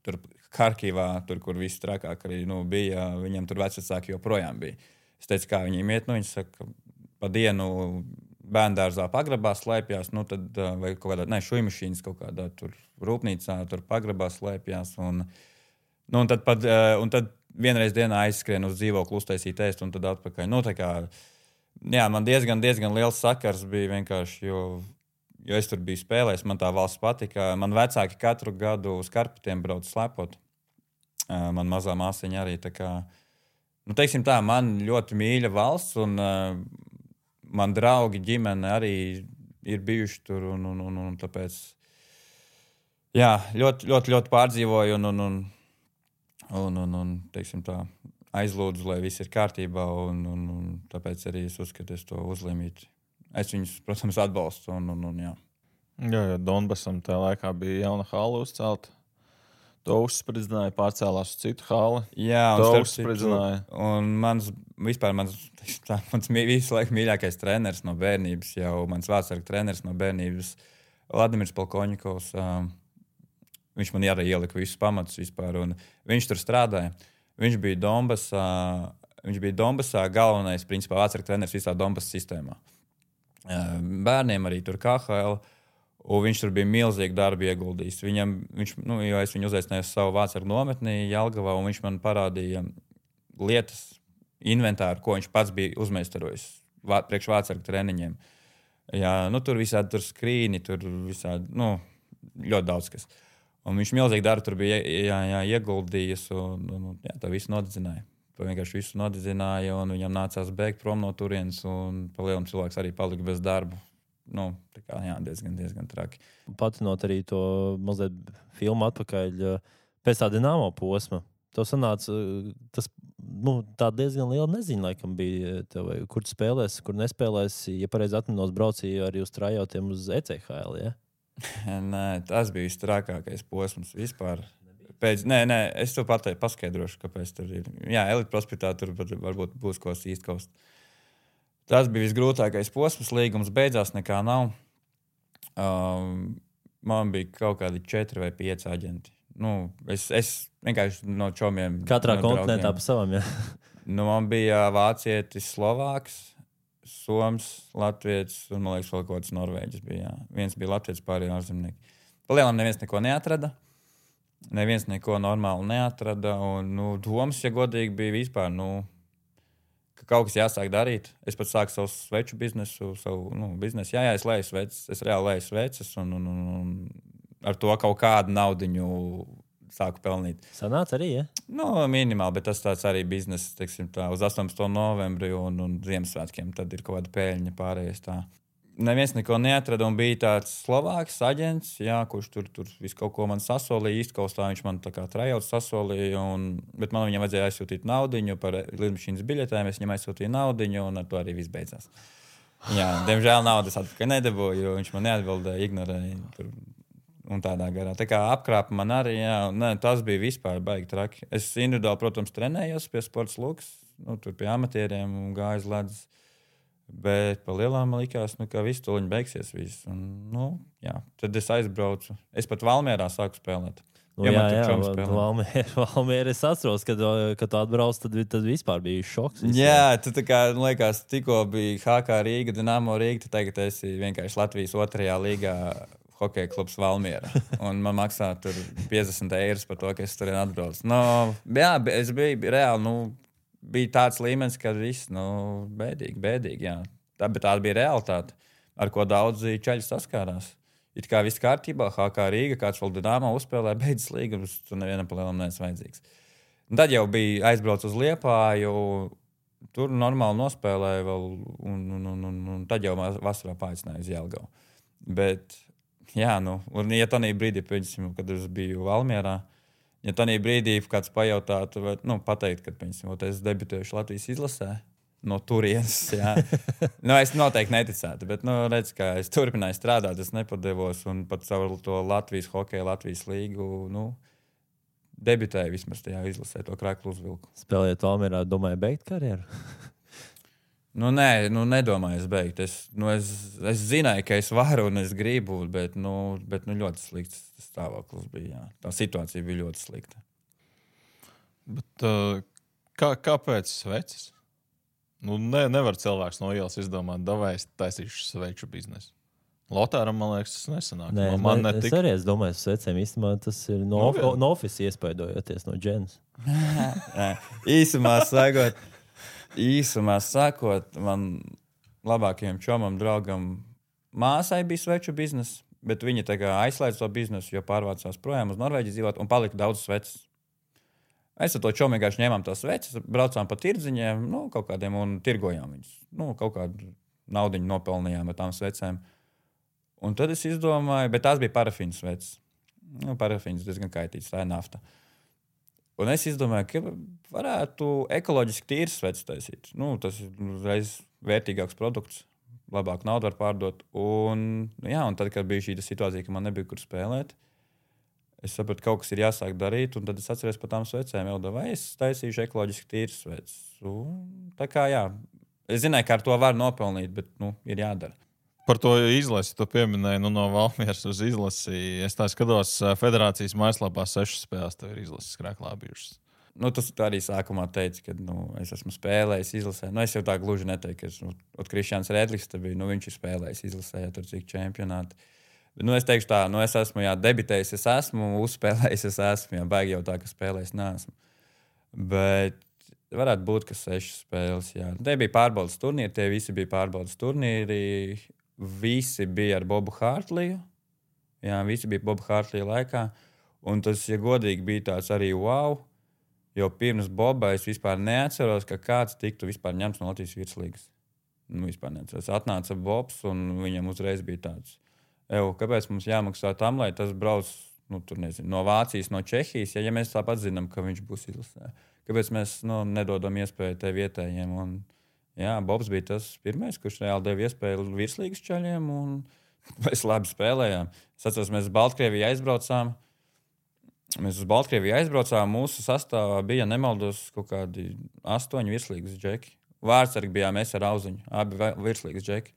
tur Harkivā, tur, kur viss trakāk arī bija, viņam tur vecvecāki joprojām bija. Es teicu, kā viņiem iet. Viņi saka, pa dienu bērndārzā pagrabā slēpjās, tad vai kaut kādā, šujmašīnas kaut kādā tur rūpnīcā, tur pagrabā slēpjās. Un tad vienreiz dienā aizskrien uz dzīvokli, uztaisīt ēst un tad atpakaļ. Man diezgan liels sakars bija vienkārši, jo es tur biju spēlējis, man tā valsts patika. Man vecāki katru gadu uz Karpatiem brauc slepot. Man mazā māsiņa arī. Tā kā, teiksim tā, man ļoti mīļa valsts un man draugi, ģimene arī ir bijuši tur un tāpēc, ļoti pārdzīvoju un teiksim tā, aizlūdzu, lai viss ir kārtībā, un tāpēc arī es uzskatu, es to uzlīmīti. Es viņus, protams, atbalstu. Jā, Donbasam tajā laikā bija jauna hala uzcelta. To uzspridzināja, pārcēlās uz citu hali. Jā, to uzspridzināja. Un mans visu laiku mīļākais treneris no bērnības, jau mans vārdsarga treneris no bērnības, Vladimirs Polkoņikovs. Viņš man arī ielika visus pamatus vispār, un viņš tur strādāja. Viņš bija Donbasā galvenais, principā, vārdsarga treneris visā Donbas sistēmā. Bērniem arī tur KHL, un viņš tur bija milzīgi darbu ieguldījis. Jo es viņu uzaicināju uz savu vārdsargu nometni Jelgavā, un viņš man parādīja lietas, inventāru, ko viņš pats bija uzmeistarojis priekš vārdsargu treniņiem. Tur visādi tur skrīni, tur visādi, ļoti daudz kas. Un viņš milzīgi darbu tur bija ieguldījis, un tā visu nodedzināja. To vienkārši visu nodedzināja, un viņam nācās bēgt prom no turienes, un pa lielam cilvēks arī palika bez darba. Diezgan traki. Patinot arī to mazliet filmu atpakaļ pēc tā Dinamo posma. Tev sanāca, tas tā diezgan liela neziņa laikam bija tev, kur tu spēlēsi, kur nespēlēsi. Ja pareizi atminos, braucīju arī uz trajautiem uz ECHL, ja? Nē, tas bija visstrakākais posms vispār. Es to paskaidrošu, kāpēc tur ir. Jā, Elite prospektā tur varbūt būs ko īstkost. Tas bija visgrūtākais posms, līgums beidzās, nekā nav. Man bija kaut kādi 4 vai 5 aģenti. Es vienkārši no čomiem. Katrā kontinentā pa savam, jā. Man bija vācietis, slovāks, soms, latvietis un, man liekas, vēl kaut kāds norvēģis bija. Jā. Viens bija latvietis, pārējie ārzemnieki. Palielam neviens neko neatrada. Neviens neko normāli neatrada. Un, domas, ja godīgi, bija vispār, ka kaut kas jāsāk darīt. Es pat sāku savu sveču biznesu, biznesu. Jā, es leju sveces, es reāli leju sveces un ar to kaut kādu naudiņu sāku pelnīt. Sanāca arī, ja? Minimāli, bet tas tāds arī bizness, teiksim tā, uz 18. novembri un Ziemassvētkiem. Tad ir kaut kāda pēļņa pārējais tā. Neviens neko neatrada un bija tāds Slovāks aģents, kurš tur visu kaut ko man sasolīja. Īstkaustā viņš man tā kā trajauts sasolīja, bet man viņam vajadzēja aizsūtīt naudiņu par lidmašīnas biļetēm. Es viņam aizsūtīju naudiņu un ar to arī viss beidzās. Jā, diemžēl naudas atpakaļ nedabūju, jo viņš man neatbildēja, ignorēja un tādā garā. Tā kā apkrāpa man arī, tas bija vispār baigi traki. Es individuāli, protams, trenējos pie sports lukas, tur pie amatieriem un gāju uz ledus. Bet par lielām man likās, ka viss tuliņi beigsies. Tad es aizbraucu. Es pat Valmierā sāku spēlēt. Valmiera es atceros, kad tu atbrauc, tad vispār bija šoks. Jā, tu tā kā, liekas, tikko bija HK Rīga, Dinamo Rīga, tu tagad esi vienkārši Latvijas 2. līgā hokeja klubs Valmiera. Un man maksā tur 50 € par to, ka es turien atbraucu. Es biju reāli, bija tāds līmenis, ka viss, bēdīgi, jā. Bet tā bija realitāte, ar ko daudzi čaļi saskārās. It kā viss kārtībā, HK Rīga, kāds vēl Dinamo uzspēlē, beidzas līgumus, tur nevienam pa lielam neesmu vajadzīgs. Un tad jau bija aizbrauc uz Liepāju, tur normāli nospēlēja vēl, un tad jau vasarā paicināja uz Jelgavu. Bet, un ja tanī brīdī, kad es biju Valmierā, ja tanī brīdī kāds pajautātu, vai pateikt, ka es debitējuši Latvijas izlasē no turienes, es noteikti neticētu, bet, redz, kā es turpināju strādāt, es nepadevos un pat caur to Latvijas hokeju, Latvijas līgu, debitēju vismaz tajā izlasē, to kraklu uzvilku. Spēlējot Valmierā, domāju beigt karjeru? Nedomāju es beigt. Es zināju, ka es varu un es gribu, bet ļoti slikts stāvoklis bija. Jā. Tā situācija bija ļoti slikta. Bet, kāpēc sveces? Nevar cilvēks no ielas izdomāt, davai es taisīšu sveču biznesu. Lotāram, man liekas, tas nesanāk. Es arī domāju, svecēm īstenībā tas ir no office iespaidojoties no dženas. Īsumā sakot, man labākajam čomam, draugam, māsai bija sveču biznesa, bet viņa aizslēdz to biznesu, jo pārvācās projām uz Norvēģiju dzīvot un palika daudz sveces. Mēs ar to čomu vienkārši ņēmām tās sveces, braucām pa tirdziņiem, kaut kādiem un tirgojām viņus. Kaut kādu naudiņu nopelnījām ar tām svecēm. Un tad es izdomāju, bet tās bija parafīnas sveces. Parafīnas diezgan kaitītas, tā ir nafta. Un es izdomāju, ka varētu ekoloģiski tīras sveces taisīt. Tas ir uzreiz vērtīgāks produkts, labāk naudu var pārdot. Un tad, kad bija šī situācija, ka man nebija kur spēlēt, es sapratu, ka kaut kas ir jāsāk darīt, un tad es atceros par tām svecēm, vai es taisīšu ekoloģiski tīras sveces. Tā kā es zināju, ka ar to var nopelnīt, bet ir jādara. Par to izlasi, tu pieminēji no Valmieras uz izlasi. Es tā skatos, federācijas mājaslapā 6 spēles tev ir izlases krāklā bijušas. Tas arī sākumā teica, ka es esmu spēlējis izlasē. Es jau tā gluži neteiktu, ka Krišjāns Rēdlis bija, viņš ir spēlējis izlasē, tur cik čempionāti. Bet, es teikšu tā, es esmu debitējis, es esmu uzspēlējis, es esmu, baigi jau tā, ka spēlējis neesmu. Bet varētu būt, ka 6 spēles, Tie bija pārbaudas turnīri, tie visi bija pārbaudas turnīri. Visi bija ar Bobu Hārtliju. Visi bija Bobu Hārtlija laikā. Un tas, ja godīgi, bija tāds arī wow. Jo pirms Boba es vispār neatceros, ka kāds tiktu vispār ņemts no Latvijas virslīgas. Vispār neatceros. Atnāca Bobs un viņam uzreiz bija tāds. Kāpēc mums jāmaksā tam, lai tas brauc no Vācijas, no Čehijas, ja mēs tāpat zinām, ka viņš būs izlasē? Kāpēc mēs nedodam iespēju te vietējiem? Un, Bobs bija tas pirmais, kurš reāli deva iespēju virslīgas čaļiem, un mēs labi spēlējām. Es atceros, mēs uz Baltkrieviju aizbraucām. Mūsu sastāvā bija, nemaldos, kaut kādi 8 virslīgas džeki. Vārtsargi bijām mēs ar Auziņu, abi virslīgas džeki.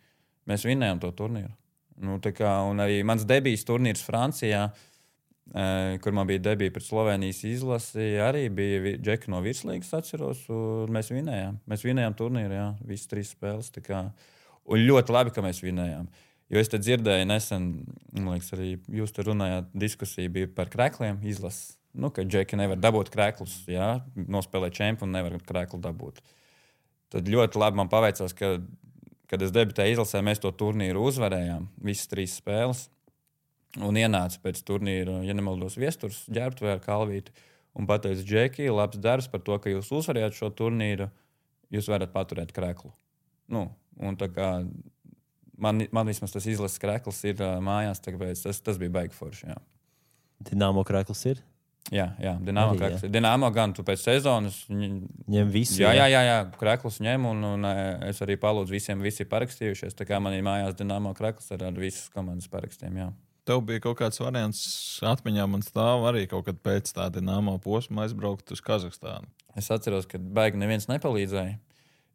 Mēs vinnējām to turnīru. Un arī mans debijas turnīrs Francijā, kur man bija debija pret Slovenijas izlasi, arī bija džeki no virslīgas, atceros, un mēs vinnējām. Mēs vinnējām turnīru, visas 3 spēles. Un ļoti labi, ka mēs vinnējām. Jo es te dzirdēju nesen, man liekas, arī jūs te runājāt, diskusija bija par krekliem izlases. Nu, ka džeki nevar dabūt kreklus, jā, nospēlēt čempionu un nevar kreklu dabūt. Tad ļoti labi man paveicās, ka, kad es debitēju izlasē, mēs to turnīru uzvarējām, visas 3 spēles. Un ienāca pēc turnīra, ja nemaldos, Viesturs, Ģērbtuvē ar Kalvīti. Un pateica, Džeki, labs darbs par to, ka jūs uzvarējāt šo turnīru, jūs varat paturēt kreklu. Nu, un tā kā man vismaz tas izlases krekls ir mājās, tāpēc tas bija baigi forši, jā. Dinamo krekls ir? Jā, Dinamo krekls ir. Dinamo gan tu pēc sezonas ņem visu. Jā, kreklus ņem, un es arī palūdzu visiem, visi parakstījušies. Tā kā man ir mājās Dinamo krekls ar visas komandas parakstiem, jā. Tev bija kaut kāds variants atmiņā, man stāv arī kaut kad pēc tā Dinamo posma aizbraukt uz Kazahstānu. Es atceros, ka baigi neviens nepalīdzēja,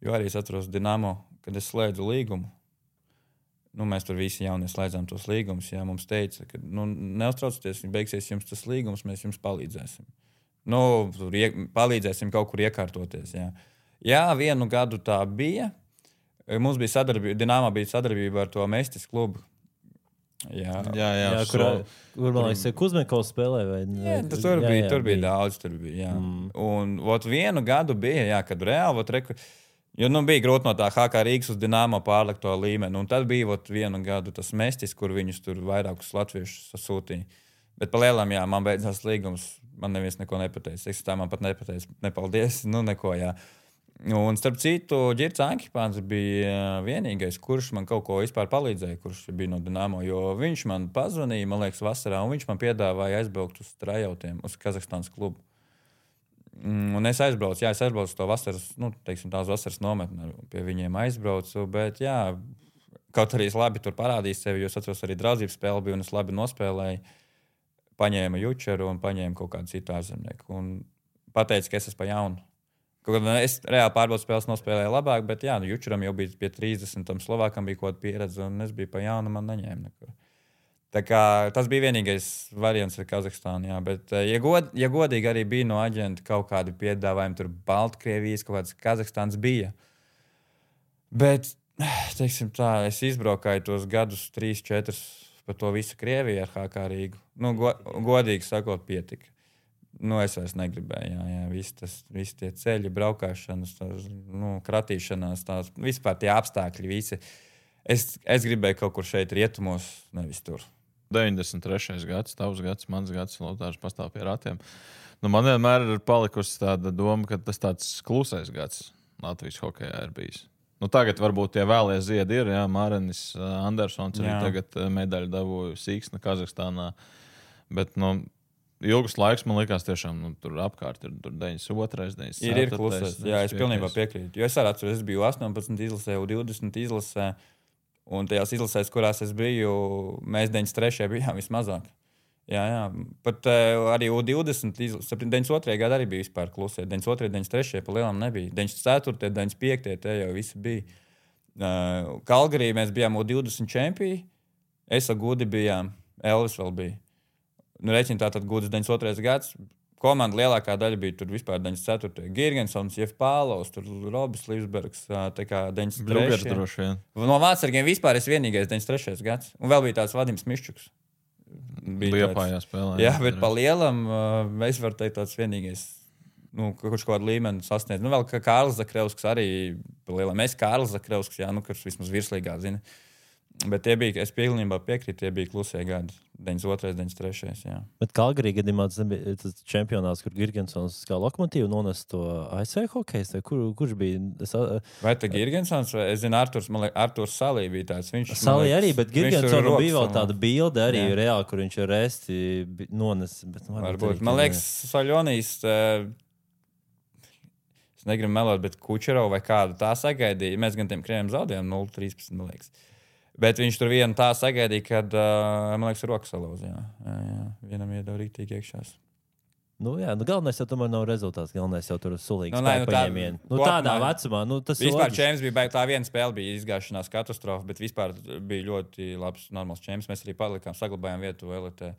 jo arī es atceros Dinamo, kad es slēdzu līgumu. Nu, mēs tur visi jaunie slēdzām tos līgumus. Jā, mums teica, ka neuztraucieties, beigsies jums tas līgums, mēs jums palīdzēsim. Nu, palīdzēsim kaut kur iekārtoties. Jā, 1 gadu tā bija. Mums bija sadarbība, Dinamo bija sadarbība ar to Mestis klubu. Jā, kur man liekas, Kuzmenkovs spēlē vai ne? Jā, tur bija daudz, tur bija, jā. Un 1 gadu bija, jā, kad reāli, jo bija grūti no tā HK Rīgas uz Dinamo pārlikt to līmeni. Un tad bija 1 gadu tas Mestis, kur viņus tur vairākus latviešus sasūtīja. Bet pa lielām, jā, man beidzās līgums, man neviens neko nepateica. Es tā man pat nepateicu, nepaldies, neko, jā. Un starp citu, Ģirts Ankipāns bija vienīgais, kurš man kaut ko vispār palīdzēja, kurš bija no Dinamo, jo viņš man pazvanīja, man liekas, vasarā, un viņš man piedāvāja aizbraukt uz trajautiem, uz Kazahstānas klubu. Un es aizbraucu to vasaras, tās vasaras nometni, pie viņiem aizbraucu, bet jā, kaut arī es labi tur parādīju sevi, jo es atceros arī draudzības spēli bija, un es labi nospēlēju, paņēmu Jučeru un paņēmu kaut kādu citu ārzemnieku, un pateicu, ka es esmu pa jaunu. Es reāli pārbaudu spēles nospēlēju labāk, bet jā, Jučeram jau bija pie 30, tam Slovākam bija kaut kāda pieredze, un es biju pa jaunu, man neņēma nekur. Tā kā tas bija vienīgais variants ar Kazahstānu, jā, bet, ja godīgi arī bija no aģenta kaut kādi piedāvājumi, tur Baltkrievijas, kaut kāds Kazahstāns bija. Bet, teiksim tā, es izbraukāju tos gadus 3-4 par to visu Krieviju ar HK Rīgu. Godīgi sakot, pietika. Es vairs negribēju, jā, visi tie ceļi, braukāšanas, kratīšanās, vispār tie apstākļi, visi. Es gribēju kaut kur šeit rietumos, nevis tur. 93. gads, tavs gads, mans gads, Lotārs pastāv pie ratiem. Man vienmēr ir palikusi tāda doma, ka tas tāds klusais gads Latvijas hokejā ir bijis. Tagad varbūt tie vēlie ziedi ir, jā, Mārenis Andersons arī tagad medaļu dabūja Sīksna Kazahstānā, bet, ilgus laiks man likās tiešām, tur apkārt ir 92, 94. Ir klusais, jā, es pilnībā piekrītu. Jo es arī atceros, es biju 18 izlasē, 20 izlasē, un tajās izlasēs, kurās es biju, mēs 93. bijām vismazāk. Jā, pat arī 20, 92. gada arī bija vispār klusē. 92, 93. pa lielām nebija. 94, 95. te jau visi bija. Kalgarī mēs bijām 20 čempioni, es ar Gudi bijām, Elvis vēl bija. Reķina tātad Gudas 92. gads. Komanda lielākā daļa bija tur vispār 94. Girgensons, Jeff Pālaus, tur Robis Līvsbergs, tā kā 93. Brugers droši vien. No vācargiem vispār es vienīgais 93. gads. Un vēl bija tāds Vadims Miščuks. Liepājā spēlē. Jā, bet pa lielam es varu teikt tāds vienīgais, kurš kādu līmeni sasniedz. Vēl kā Kārlis Zakrevskis arī pa lielam. Es Kārlis Zakrevskis, jā, kurš vismaz virslīgā zina. Bet tie bija, es pilnībā piekrītu, tie bija klusie gadi. 92, 93. Jā. Bet Kalgarī gadījumā tas čempionāts, kur Girgensons kā lokomotīvu nones to ASV hokejs, kurš bija? Vai tā Girgensons, vai es zinu, Arturs Salī bija tāds. Salī arī, bet Girgensonam bija vēl tāda bilde arī reāli, kur viņš ar resti nones. Varbūt. Man liekas, Saļonijas, es negribu melot, bet Kučerov vai kādu tā sagaidīja. Mēs gan tiem krieviem zaudējām 0-13, man liekas. Bet viņš tur vienu tā sagaidīja, kad, man liekas, rokas salauza. Jā. Vienam iedeva rīktīgi iekšās. Galvenais jau tomēr nav rezultāts. Galvenais jau tur sulīgi spēku paņēmienu. Tādā vecumā, tas vispār čemps bija, tā viena spēle bija izgāšanās katastrofa, bet vispār bija ļoti labs, normāls čemps. Mēs arī palikām, saglabājām vietu LT.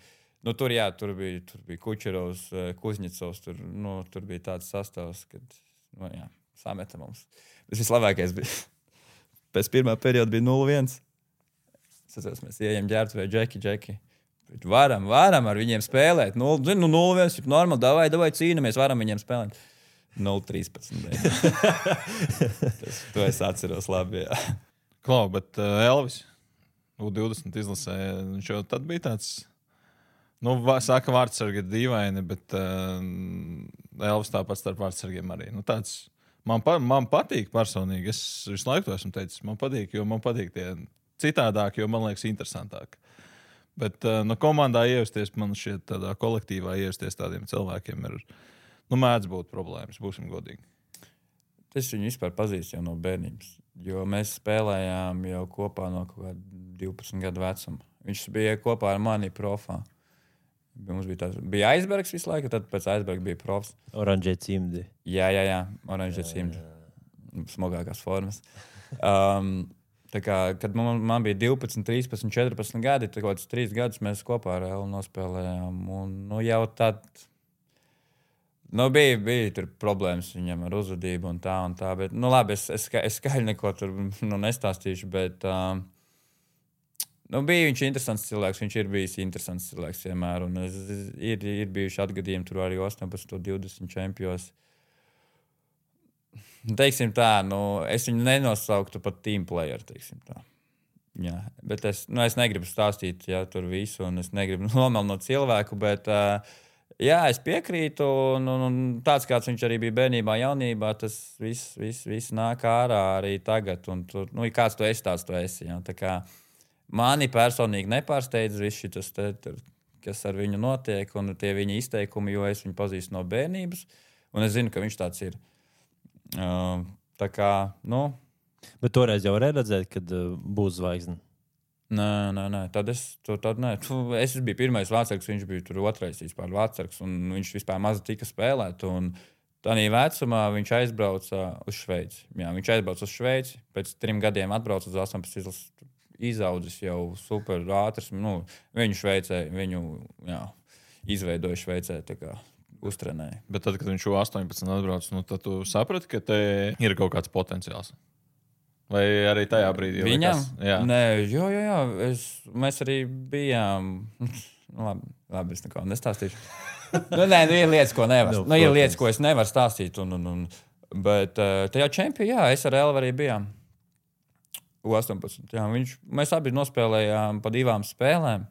Tur bija Kučerovs, Kuzņicovs, tur bija tāds sastāvs, kad, sameta mums. Bet vislabākais bija, pēc pirmā perioda bija 0-1. Mēs ejam ģērbtuvē, Džeki. Varam ar viņiem spēlēt. 0-1, ir normāli, davai cīnamies, varam viņiem spēlēt. 0-13. To es atceros labi, jā. Klau, bet Elvis U20 izlasē, viņš jau tad bija tāds, saka vārdsargi ir dīvaini, bet Elvis tāpat starp vārdsargiem arī. Tāds, man patīk personīgi, es visu laiku to esmu teicis, man patīk tie citādāk, jo man liekas interesantāk. Bet komandā ievesties, man šķiet tādā kolektīvā ievesties tādiem cilvēkiem ir, mēdz būt problēmas, būsim godīgi. Es viņu vispār pazīstu jau no bērnības, jo mēs spēlējām jau kopā no kaut kāda 12 gadu vecuma. Viņš bija kopā ar mani profā. Mums bija aizbergs visu laiku, tad pēc aizberga bija profs. Oranžē cimdi. Jā, oranžē cimdi. Smagākās formas. Kad man bija 12, 13, 14 gadi, tad kaut kāds 3 gadus mēs kopā ar Elu nospēlējām. Un, jau tad bija tur problēmas viņam ar uzvedību un tā. Bet, labi, es skaļi neko tur nestāstīšu, bet bija viņš interesants cilvēks. Viņš ir bijis interesants cilvēks vienmēr. Un ir bijuši atgadījumi tur arī 18, 20 čempionos. Teiksim tā, es viņu nenosauktu par team player, teiksim tā. Jā, bet es negribu stāstīt tur visu, un es negribu nomelnot cilvēku, bet jā, es piekrītu, un tāds, kāds viņš arī bija bērnībā, jaunībā, tas viss nāk ārā arī tagad, un kāds tu esi, tāds tu esi. Jā. Tā kā mani personīgi nepārsteidz viss šitas, kas ar viņu notiek, un tie viņa izteikumi, jo es viņu pazīstu no bērnības, un es zinu, ka viņš tāds ir. Tā kā, Bet toreiz jau varēja redzēt, kad būs zvaigzne. Nē. Tad nē. Es biju pirmais vārdsargs, viņš bija tur otrais vispār vārdsargs, un viņš vispār maz tika spēlēt. Un tādā vecumā viņš aizbrauca uz Šveici. Jā, viņš aizbrauca uz Šveici, pēc 3 gadiem atbrauca uz 18 izlases, izaudzis jau super ātrs. Viņu Šveicē, izveidoja Šveicē, tā kā uztrenēja. Bet tad, kad viņš 18 atbrauc, tad tu saprati, ka te ir kaut kāds potenciāls. Vai arī tajā brīdī? Viņam? Jā. Nē, jā. Mēs arī bijām... Labi, es neko nestāstīšu. Ir lietas, ko nevar. Ir lietas, ko es nevaru stāstīt. Bet tajā čempionā, es ar Elvu arī bijām. 18. Jā, mēs abi nospēlējām pa 2 spēlēm.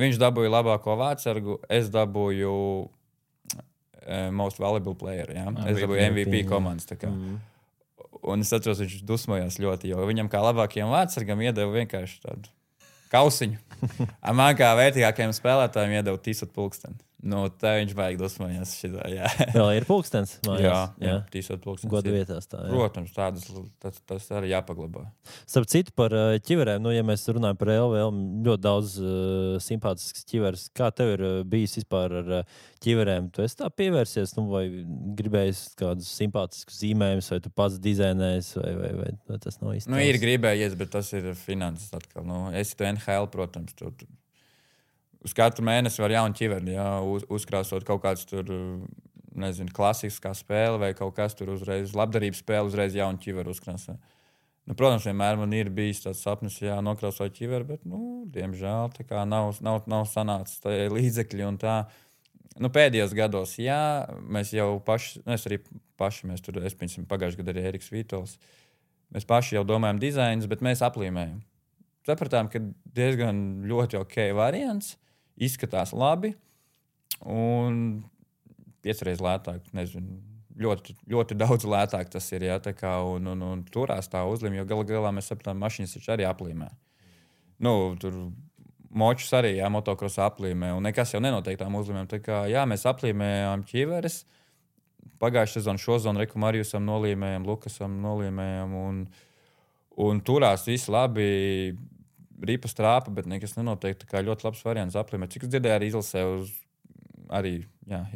Viņš dabūja labāko vārdsargu, es dabūju most valuable player. Jā. Es dabūju MVP komandas. Un es atceros, viņš dusmojās ļoti, jo viņam kā labākajam vārdsargam iedeva vienkārši tādu kausiņu. Man kā vērtīgākajam spēlētājiem iedeva tīsot pulksteni. Tā viņš vajag dusmojās šitā, jā. Vēl ir pulkstens? Jā, tīsot pulkstens. Godu vietās tā, jā. Protams, tas arī jāpaglabā. Starp citu par ķiverēm, ja mēs runājam par LVL, ļoti daudz simpātisks ķiveres. Kā tev ir bijis vispār ar ķiverēm? Tu esi tā pievērsies, vai gribējis kādus simpātiskus zīmējumus, vai tu pats dizainējies, vai tas nav īsti? Ir gribējies, bet tas ir finanses atkal. Esi tu NHL, protams, uz katru mēnesi var jaunu ķiveri, uzkrāsot kaut kāds tur, klasiskā spēle vai kaut kas tur uzreiz, labdarības spēle uzreiz jaunu ķiveri uzkrāsot. Protams, vienmēr man ir bijis tāds sapnis, nokrāsot ķiveri, bet, diemžēl, tā kā nav sanācis līdzekļi un tā. Pēdējos gados, mēs jau paši, pagājušajā gadā arī Eriks Vītols, mēs paši jau domājam dizainus, bet mēs aplīmējam. Sapratām, ka diezgan ļoti ok variants, izskatās labi un 5 reizes lētāk, ļoti, ļoti daudz lētāk tas ir, un turās tā uzlīme, jo galā mēs sapratām, mašīnas taču arī aplīmē. Tur močus arī, motokrosā aplīmē, un nekas jau nenotiek tām uzlīmēm. Mēs aplīmējām ķiveres, pagājušā sezonu, šo zonu, Reku Marijusam nolīmējām, Lukasam nolīmējām, un turās viss labi, ripa strāpa, bet nekas nenotiek. Tā kā ļoti labs variants aplīmēt. Cik es dzirdēju, arī izlasē arī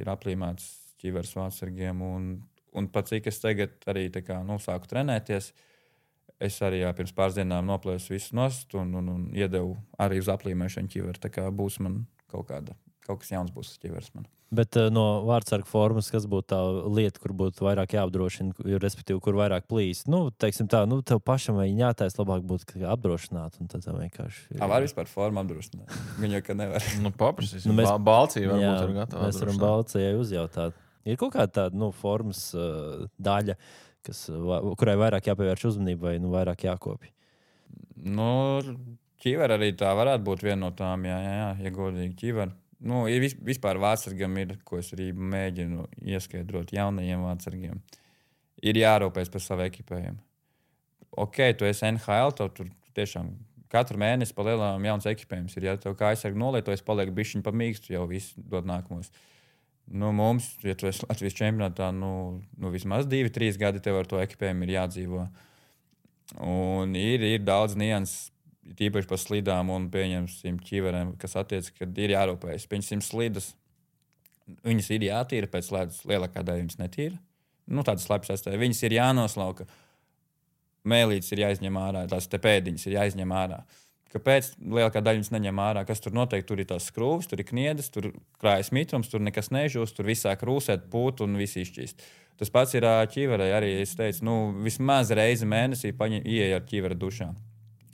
ir aplīmēts ķiveres vārdsargiem. Un pat cik es tagad arī sāku trenēties, es arī pirms pāris dienām noplēsu visu nost un iedevu arī uz aplīmēšanu ķiveri. Tā kā būs man kaut kāda kaut kas jauns būs ķiveres man. Bet no vārdsarga formas, kas būtu tā lieta, kur būtu vairāk jāapdrošina, respektīvi, kur vairāk plīst? Nu, teiksim tā, tev pašam vai jātais labāk būtu apdrošināt, un tad tā vienkārši... Var vispār formu apdrošināt? Viņa jau, ka nevar. Paprasīs. Balcija varbūt jā, ir gatava. Mēs varam Balcijai uzjautāt. Ir kaut kāda tāda, formas daļa, kurai vairāk jāpievērš uzmanība vai vairāk jākopja? Ķiver arī tā varētu būt viena no tām, ja godīgi ķiver. Ir vispār vārdsargam ir, ko es arī mēģinu ieskaidrot jaunajiem vārdsargiem. Ir jārūpēs par savu ekipējumu. Ok, tu esi NHL, tur tiešām katru mēnesi pa lielām jauns ekipējums ir. Ja tev kā aizsargi nolietojas, paliek bišķiņ pa mīkstu, jau viss dod nākamos. Mums, ja tu esi Latvijas čempionātā, vismaz 2-3 gadi tev ar to ekipējumu ir jādzīvo. Un ir daudz nianses. Tīpaši par slidām un pieņemsim ķiverēm, kas attiec, kad ir jārūpējas. Pieņemsim slidas, viņas ir jātīra pēc ledus, lielākā daļa viņas netīra. Tādas slapjas atstāja. Viņas ir jānoslauka, mēlītes ir jāizņem ārā, tās te pēdiņas ir jāizņem ārā. Kāpēc lielākā daļa viņas neņem ārā? Kas tur noteikti? Tur ir tās skrūves, tur ir kniedes, tur krājas mitrums, tur nekas nežūst, tur viss sāk rūsēt, pūt un viss izšķīst. Tas pats ir ķiverē arī, es teicu, vismaz reizi mēnesī ieej ar ķivera dušā.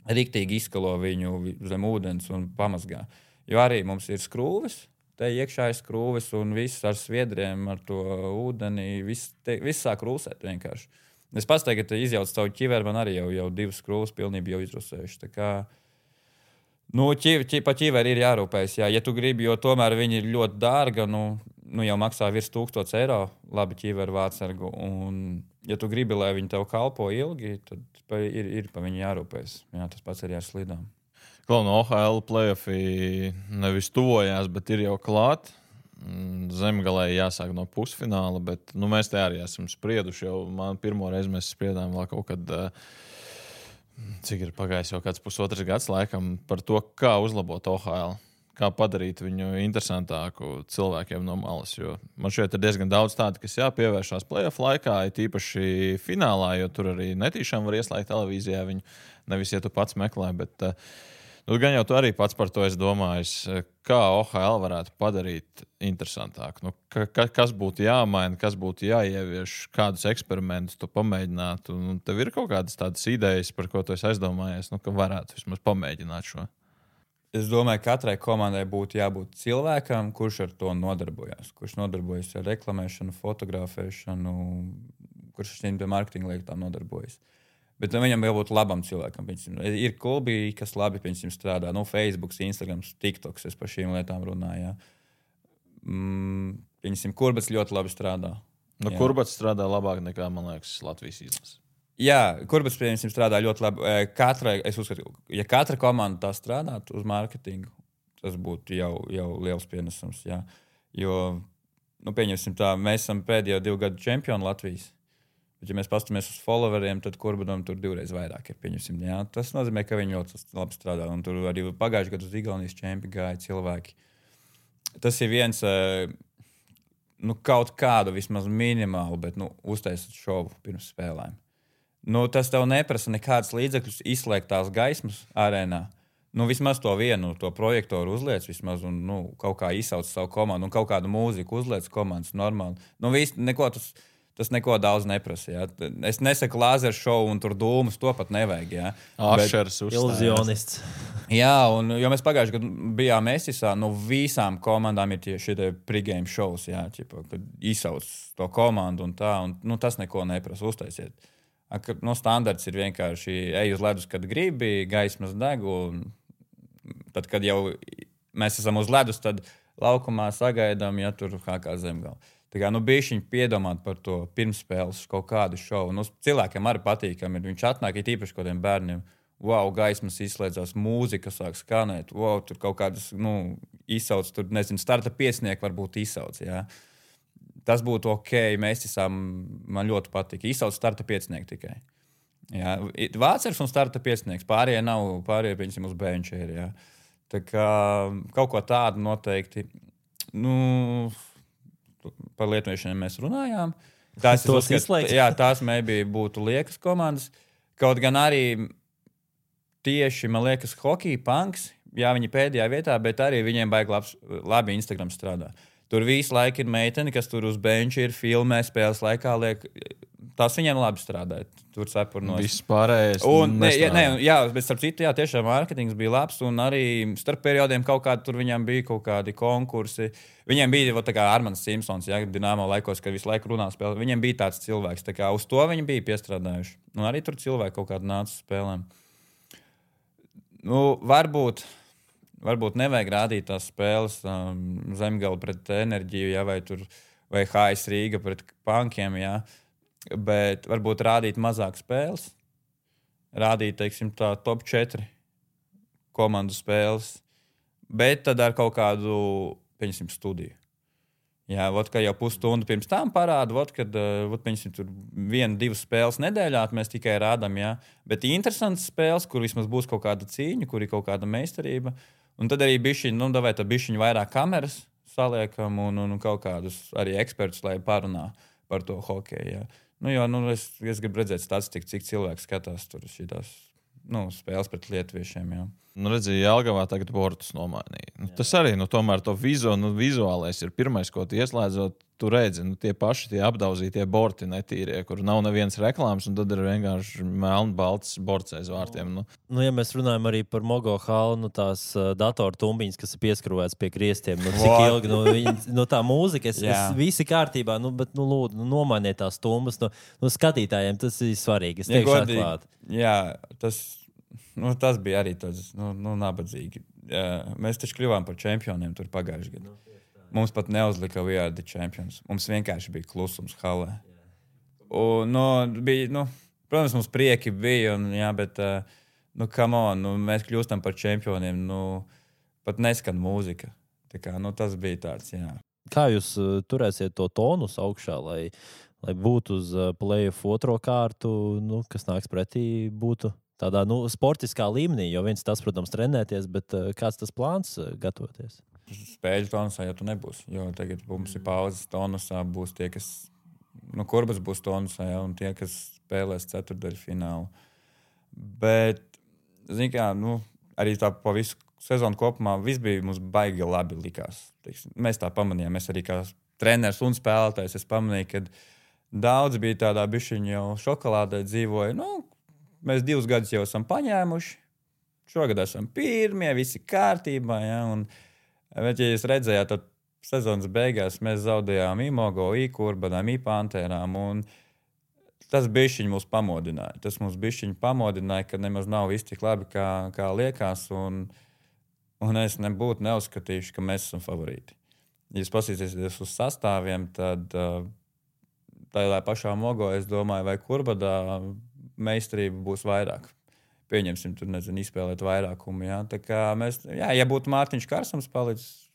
Riktīgi izskalo viņu zem ūdens un pamazgā. Jo arī mums ir skrūves, te iekšā ir skrūves un viss ar sviedriem, ar to ūdeni, viss sāk rūsēt vienkārši. Es pats tagad izjaucu savu ķiveru, man arī jau 2 skrūves pilnībā jau izrusējuši. Tā kā, pa ķiveri ir jārūpējas, jā. Ja tu gribi, jo tomēr viņi ir ļoti dārga, jau maksā virs 1000 eiro labi ķiveru vārdsargu. Un, ja tu gribi, lai viņi tev kalpo ilgi, tad ir pa viņu jārūpējas. Jā, tas pats arī ar slidām. No OHL play-offi nevis tuvojās, bet ir jau klāt. Zemgalē jāsāk no pusfināla, bet mēs te arī esam sprieduši. Pirmo reizi mēs spriedām vēl kaut kad, cik ir pagājis jau kāds 1,5 gads laikam, par to, kā uzlabot OHL. Kā padarīt viņu interesantāku cilvēkiem no malas. Jo man šeit ir diezgan daudz tādu, kas jāpievēršās play-off laikā, tīpaši finālā, jo tur arī netīšām var ieslēgt televīzijā viņu, nevis, ja tu pats meklē, bet gan jau tu arī pats par to esi domājis, kā OHL varētu padarīt interesantāku. Kas būtu jāmaina, kas būtu jāievieš, kādus eksperimentus tu pamēģinātu. Tev ir kaut kādas tādas idejas, par ko tu esi aizdomājies, ka varētu vismaz pamēģināt šo. Es domāju, ka katrai komandai būtu jābūt cilvēkam, kurš ar to nodarbojas. Kurš nodarbojas ar reklamēšanu, fotografēšanu, kurš ar šīm mārketinga lietām nodarbojas. Bet viņam jābūt labam cilvēkam. Ir klubi, kas labi strādā. Facebook, Instagram, TikTok, es par šīm lietām runāju. Kurbats ļoti labi strādā. Kurbats strādā labāk nekā, man liekas, Latvijas izlases. Jā, Kurbats, piemēram, strādā ļoti labi. Es uzskatu, ja katra komanda tā strādātu uz mārketingu, tas būtu jau liels pienesums. Jā. Jo, pieņemsim tā, mēs esam pēdējo 2 gadu čempioni Latvijas. Bet, ja mēs pastamies uz followeriem, tad Kurbatam tur 2 reizes vairāk ir. Pieņemsim, jā. Tas nozīmē, ka viņi ļoti labi strādā. Un tur arī pagājušajā gadā uz Igaunijas čempi gāja cilvēki. Tas ir viens, kaut kādu vismaz minimālu, bet uztaisīt šovu pirms spēlēm. Tas tev neprasa nekādas līdzekļus izslēgt tās gaismas arēnā. Vismaz to vienu, to projektoru uzliec vismaz un kaut kā izsauc savu komandu un kaut kādu mūziku uzliec komandas normāli. Tas neko daudz neprasa. Jā. Es nesaku lāzeru šovu un tur dūmus, to pat nevajag. Jā. Ašers iluzionists. Jā, jo mēs pagājušajā gadā bijām Esisā, visām komandām ir tieši šie pregame shows, jā, kad izsauc to komandu un tā, un tas neko neprasa, uztaisiet. Standarts ir vienkārši ej uz ledus, kad gribi, gaismas deg, un tad, kad jau mēs esam uz ledus, tad laukumā sagaidām, ja tur kā Zemgala. Tā kā, bišķiņ piedomāt par to pirmspēles kaut kādu šovu. Cilvēkiem arī patīkami ir. Viņš atnāk, ir īpaši kādiem bērniem. Wow, gaismas izslēdzās, mūzika sāk skanēt. Wow, tur kaut kādas, izsauc, tur, starta piecinieki varbūt izsauc, jā. Tas būtu ok, mēs esam, man ļoti patīk. Izsauc starta piecinieku tikai. Jā. Vācers un starta piecinieks. Pārējie nav, pieņemsim, uz benčēri. Jā. Tā kā kaut ko tādu noteikti. Par lietošaniem mēs runājām. Tās maybe būtu liekas komandas. Kaut gan arī tieši, man liekas, hockey punks jā, viņi pēdējā vietā, bet arī viņiem baigi labi Instagram strādā. Tur visu laiku ir meitene, kas tur uz benča ir, filmē, spēles laikā liek. Tas viņiem labi strādāja. Tur cepurnos. Viss pārējais. Bet starp citu, jā, tiešām mārketings bija labs, un arī starp periodiem kaut kādi tur viņam bija kaut kādi konkursi. Viņiem bija tā kā Armans Simpsons, jā, Dinamo laikos, kad visu laiku runā spēlē. Viņiem bija tāds cilvēks, tā kā uz to viņi bija piestrādājuši. Un arī tur cilvēki kaut kādi nāca spēlēm. Nu, varbūt nevajag rādīt tās spēles Zemgala pret Enerģiju, jā, vai HS Rīga pret Pankiem, jā. Bet varbūt rādīt mazāk spēles, rādīt, teiksim, tā top 4 komandu spēles, bet tad ar kaut kādu, pieņemsim, studiju. Jā, ka jau pusstundu pirms tam parāda, kad, pieņemsim, tur 1-2 spēles nedēļā mēs tikai rādām, jā. Bet interesants spēles, kur vismaz būs kaut kāda cīņa, kur ir kaut kāda meistarība, un tad arī bišķiņ vairāk kameras saliekam un kaut kādus arī ekspertus, lai parunā par to hokeju, jā. Es gribu redzēt statistiku, cik cilvēki skatās tur šitās spēles pret lietuviešiem. Jā. Redzēju, Jelgavā tagad bortus nomainīja. Tas arī, tomēr to vizuālais ir pirmais, ko tu ieslēdzot, tu redzi, tie paši tie apdauzītie borti netīrie, kur nav nevienas reklāmas, un tad ir vienkārši melni balts borts aiz vārtiem. Ja mēs runājam arī par Mogo halu, tās datortumbiņas, kas ir pieskrūvētas pie griestiem, cik ilgi, tā mūzika, es visi kārtībā, bet, lūdzu, nomainiet tās tumbas, skatītājiem tas ir svarīgi, es teikšu atklāti. Jā, tas bija arī tāds, nabadzīgi. Mēs taču kļuvām par čempioniem tur pagājušajā gadā. Mums pat neuzlika We Are The Champions. Mums vienkārši bija klusums halē. Un, protams, mums prieki bija, bet, come on, mēs kļūstam par čempioniem, pat neskan mūzika. Tā kā, tas bija tāds, jā. Kā jūs turēsiet to tonus augšā, lai būtu uz play-off otro kārtu, kas nāks pretī, būtu tādā, sportiskā līmenī, jo viens tas, protams, trenēties, bet kāds tas plāns gatavoties? Spēļu tonusā jau tu nebūsi, jo tagad mums ir pauzes tonusā, būs tie, kas, Kurbas būs tonusā, ja, un tie, kas spēlēs ceturtdaļu finālu. Bet, zini kā, arī tā pa visu sezonu kopumā viss bija mums baigi labi likās. Mēs tā pamanījām, mēs arī kā treneris un spēlētājs, es pamanīju, ka daudz bija tādā bišķiņa jau šokolādē dzīvoja, mēs 2 gadus jau esam paņēmuši, šogad esam pirmie, visi kārtībā, ja, bet, ja jūs redzējāt, tad sezonas beigās mēs zaudējām Imogo, Kurbanām, Pantērām, un tas bišķiņ mūs pamodināja. Tas mums bišķiņ pamodināja, ka nemaz nav viss tik labi, kā liekas, un es nebūtu neuzskatījuši, ka mēs esam favorīti. Ja jūs pasīsieties uz sastāviem, tad tādā pašā Mogo, es domāju, vai Kurbadā meistarība būs vairāk. Pieņemsim, tur, izspēlēt vairākumu, jā. Tā kā mēs, ja būtu Mārtiņš Karsams palicis,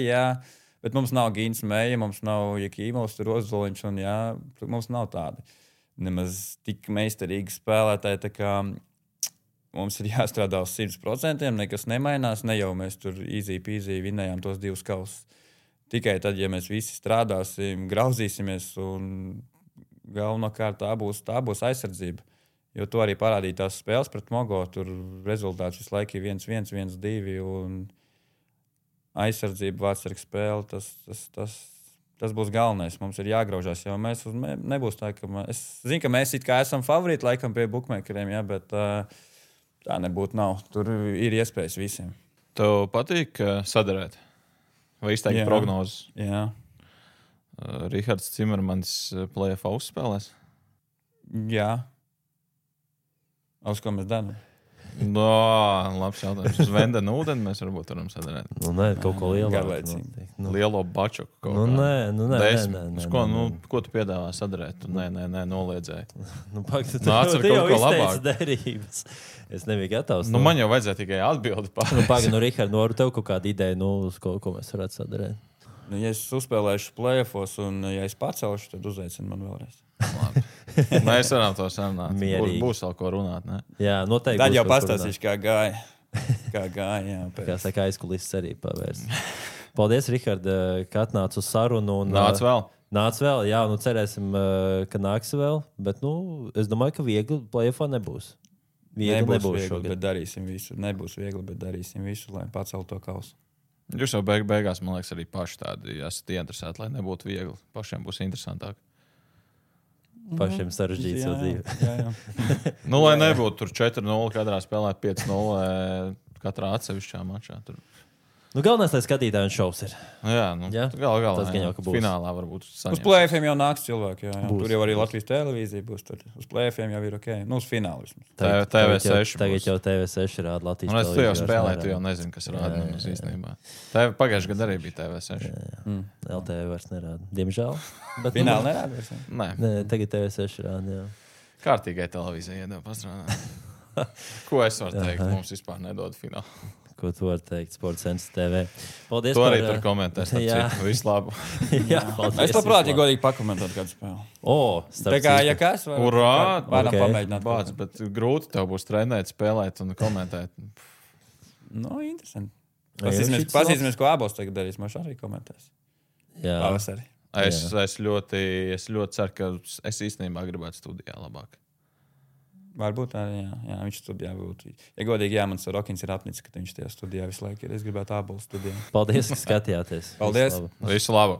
jā, bet mums nav Gīns Meja, mums nav Jakīmovs, tur Ozoliņš, un mums nav tādi nemaz tik meistarīgi spēlētāji, tā kā mums ir jāstrādā uz 100%, nekas nemainās, ne jau mēs tur easy peasy vinējām tos 2 kausus. Tikai tad, ja mēs visi strādāsim, grauzīsimies, un galvenokārt tā būs aizsardzība. Jo to arī parādīja tās spēles pret Mogo. Tur rezultāts visu laiku ir 1-1, 1-2 un aizsardzība, vārdsargs spēle. Tas būs galvenais. Mums ir jāgraužās, jo mēs nebūs tā, ka es zinu, ka mēs it kā esam favorīti laikam pie bookmakeriem, bet tā nebūtu nav. Tur ir iespējas visiem. Tev patīk sadarēt? Vai izteikt prognozes? Jā. Rihards Cimermans play-off uzspēlēs? Jā. Uz ko mēs darām? Labs jautājums. Uz Vendena ūdeni mēs varbūt varam sadarēt. Nē, kaut ko lielāku. Garlaicīgi. Lielo bačuku. Nē. Ko tu piedāvā sadarēt? Nē, noliedzēji. Atcer kaut ko labāku. Derības. Es nebiju gatavs. Man jau vajadzēja tikai atbildi pār. Richard, varu tev kaut kādu ideju, uz ko mēs varētu sadarēt? Ja es uzspēlēšu play-offos un ja es pacelšu, tad uzaicinu man vēlreiz. Mēs varam to sarunāt. Būs vēl ko runāt, ne? Jā, noteikti. Tad jau pastāstīšu, kā gāja. Jā, kā saka, aizkulises arī pavērs. Paldies, Richard, ka atnāc uz sarunu. Nāc vēl, jā, cerēsim, ka nāks vēl. Bet, es domāju, ka viegli play-offā nebūs. viegli, bet darīsim visu. Nebūs viegli, bet darīsim visu, lai paceltu to kausu. Jūs jau beigās, man liekas, arī paši tādi esat ieinteresēti, lai nebūtu viegli. Pašiem būs interesantāk. Pašiem sarežģīts jau dzīve. Jā. Lai nebūtu tur 4-0, katrā spēlē 5-0 katrā atsevišķā mačā. Tur. Galvenais, lai skatītājiem šovs ir. Jā, galā. Tas gan jau, ka būs. Finālā varbūt saņems. Uz play-offiem jau nāks cilvēki. Jā. Tur jau arī Latvijas televīzija būs. Tur. Uz play-offiem jau ir ok. Uz finālu vismaz. TV6. Tagad jau TV6 rāda Latvijas televīzija. Tu jau spēlēji, tu jau nerāda. nezini, kas rāda mums īstenībā. Pagājušajā gadā arī bija TV6. LTV vairs nerāda. Diemžēl. Bet Fināli nerāda vairs. Nē. Tagad TV6 rāda, jā. Kārtīgai televīzijai iedeva pastrādāt. Ko es varu teikt? Mums vispār nedod finālu. Ko tu vari teikt? Sports Centrs TV. Paldies to par... arī tur komentēs. Visu labu. Jā, paldies. Es labprāt, ja godīgi pakomentētu kādu spēli. Tā kā, ja kas, varam pamēģināt. Bāc, bet grūti tev būs trenēt, spēlēt un komentēt. Interesanti. Pasīsimies, ko abos tagad darīs. Mēs arī komentēs. Jā. Pavasarī. Es ļoti ceru, ka es īstenībā gribētu studijā labāk. Varbūt arī, jā, viņš studijā būtu. Ja godīgi, jā, mans Rokins ir apnicis, ka viņš tajā studijā visu laiku ir. Es gribētu ābolu studijā. Paldies, ka skatījāties. Paldies. Visu labu.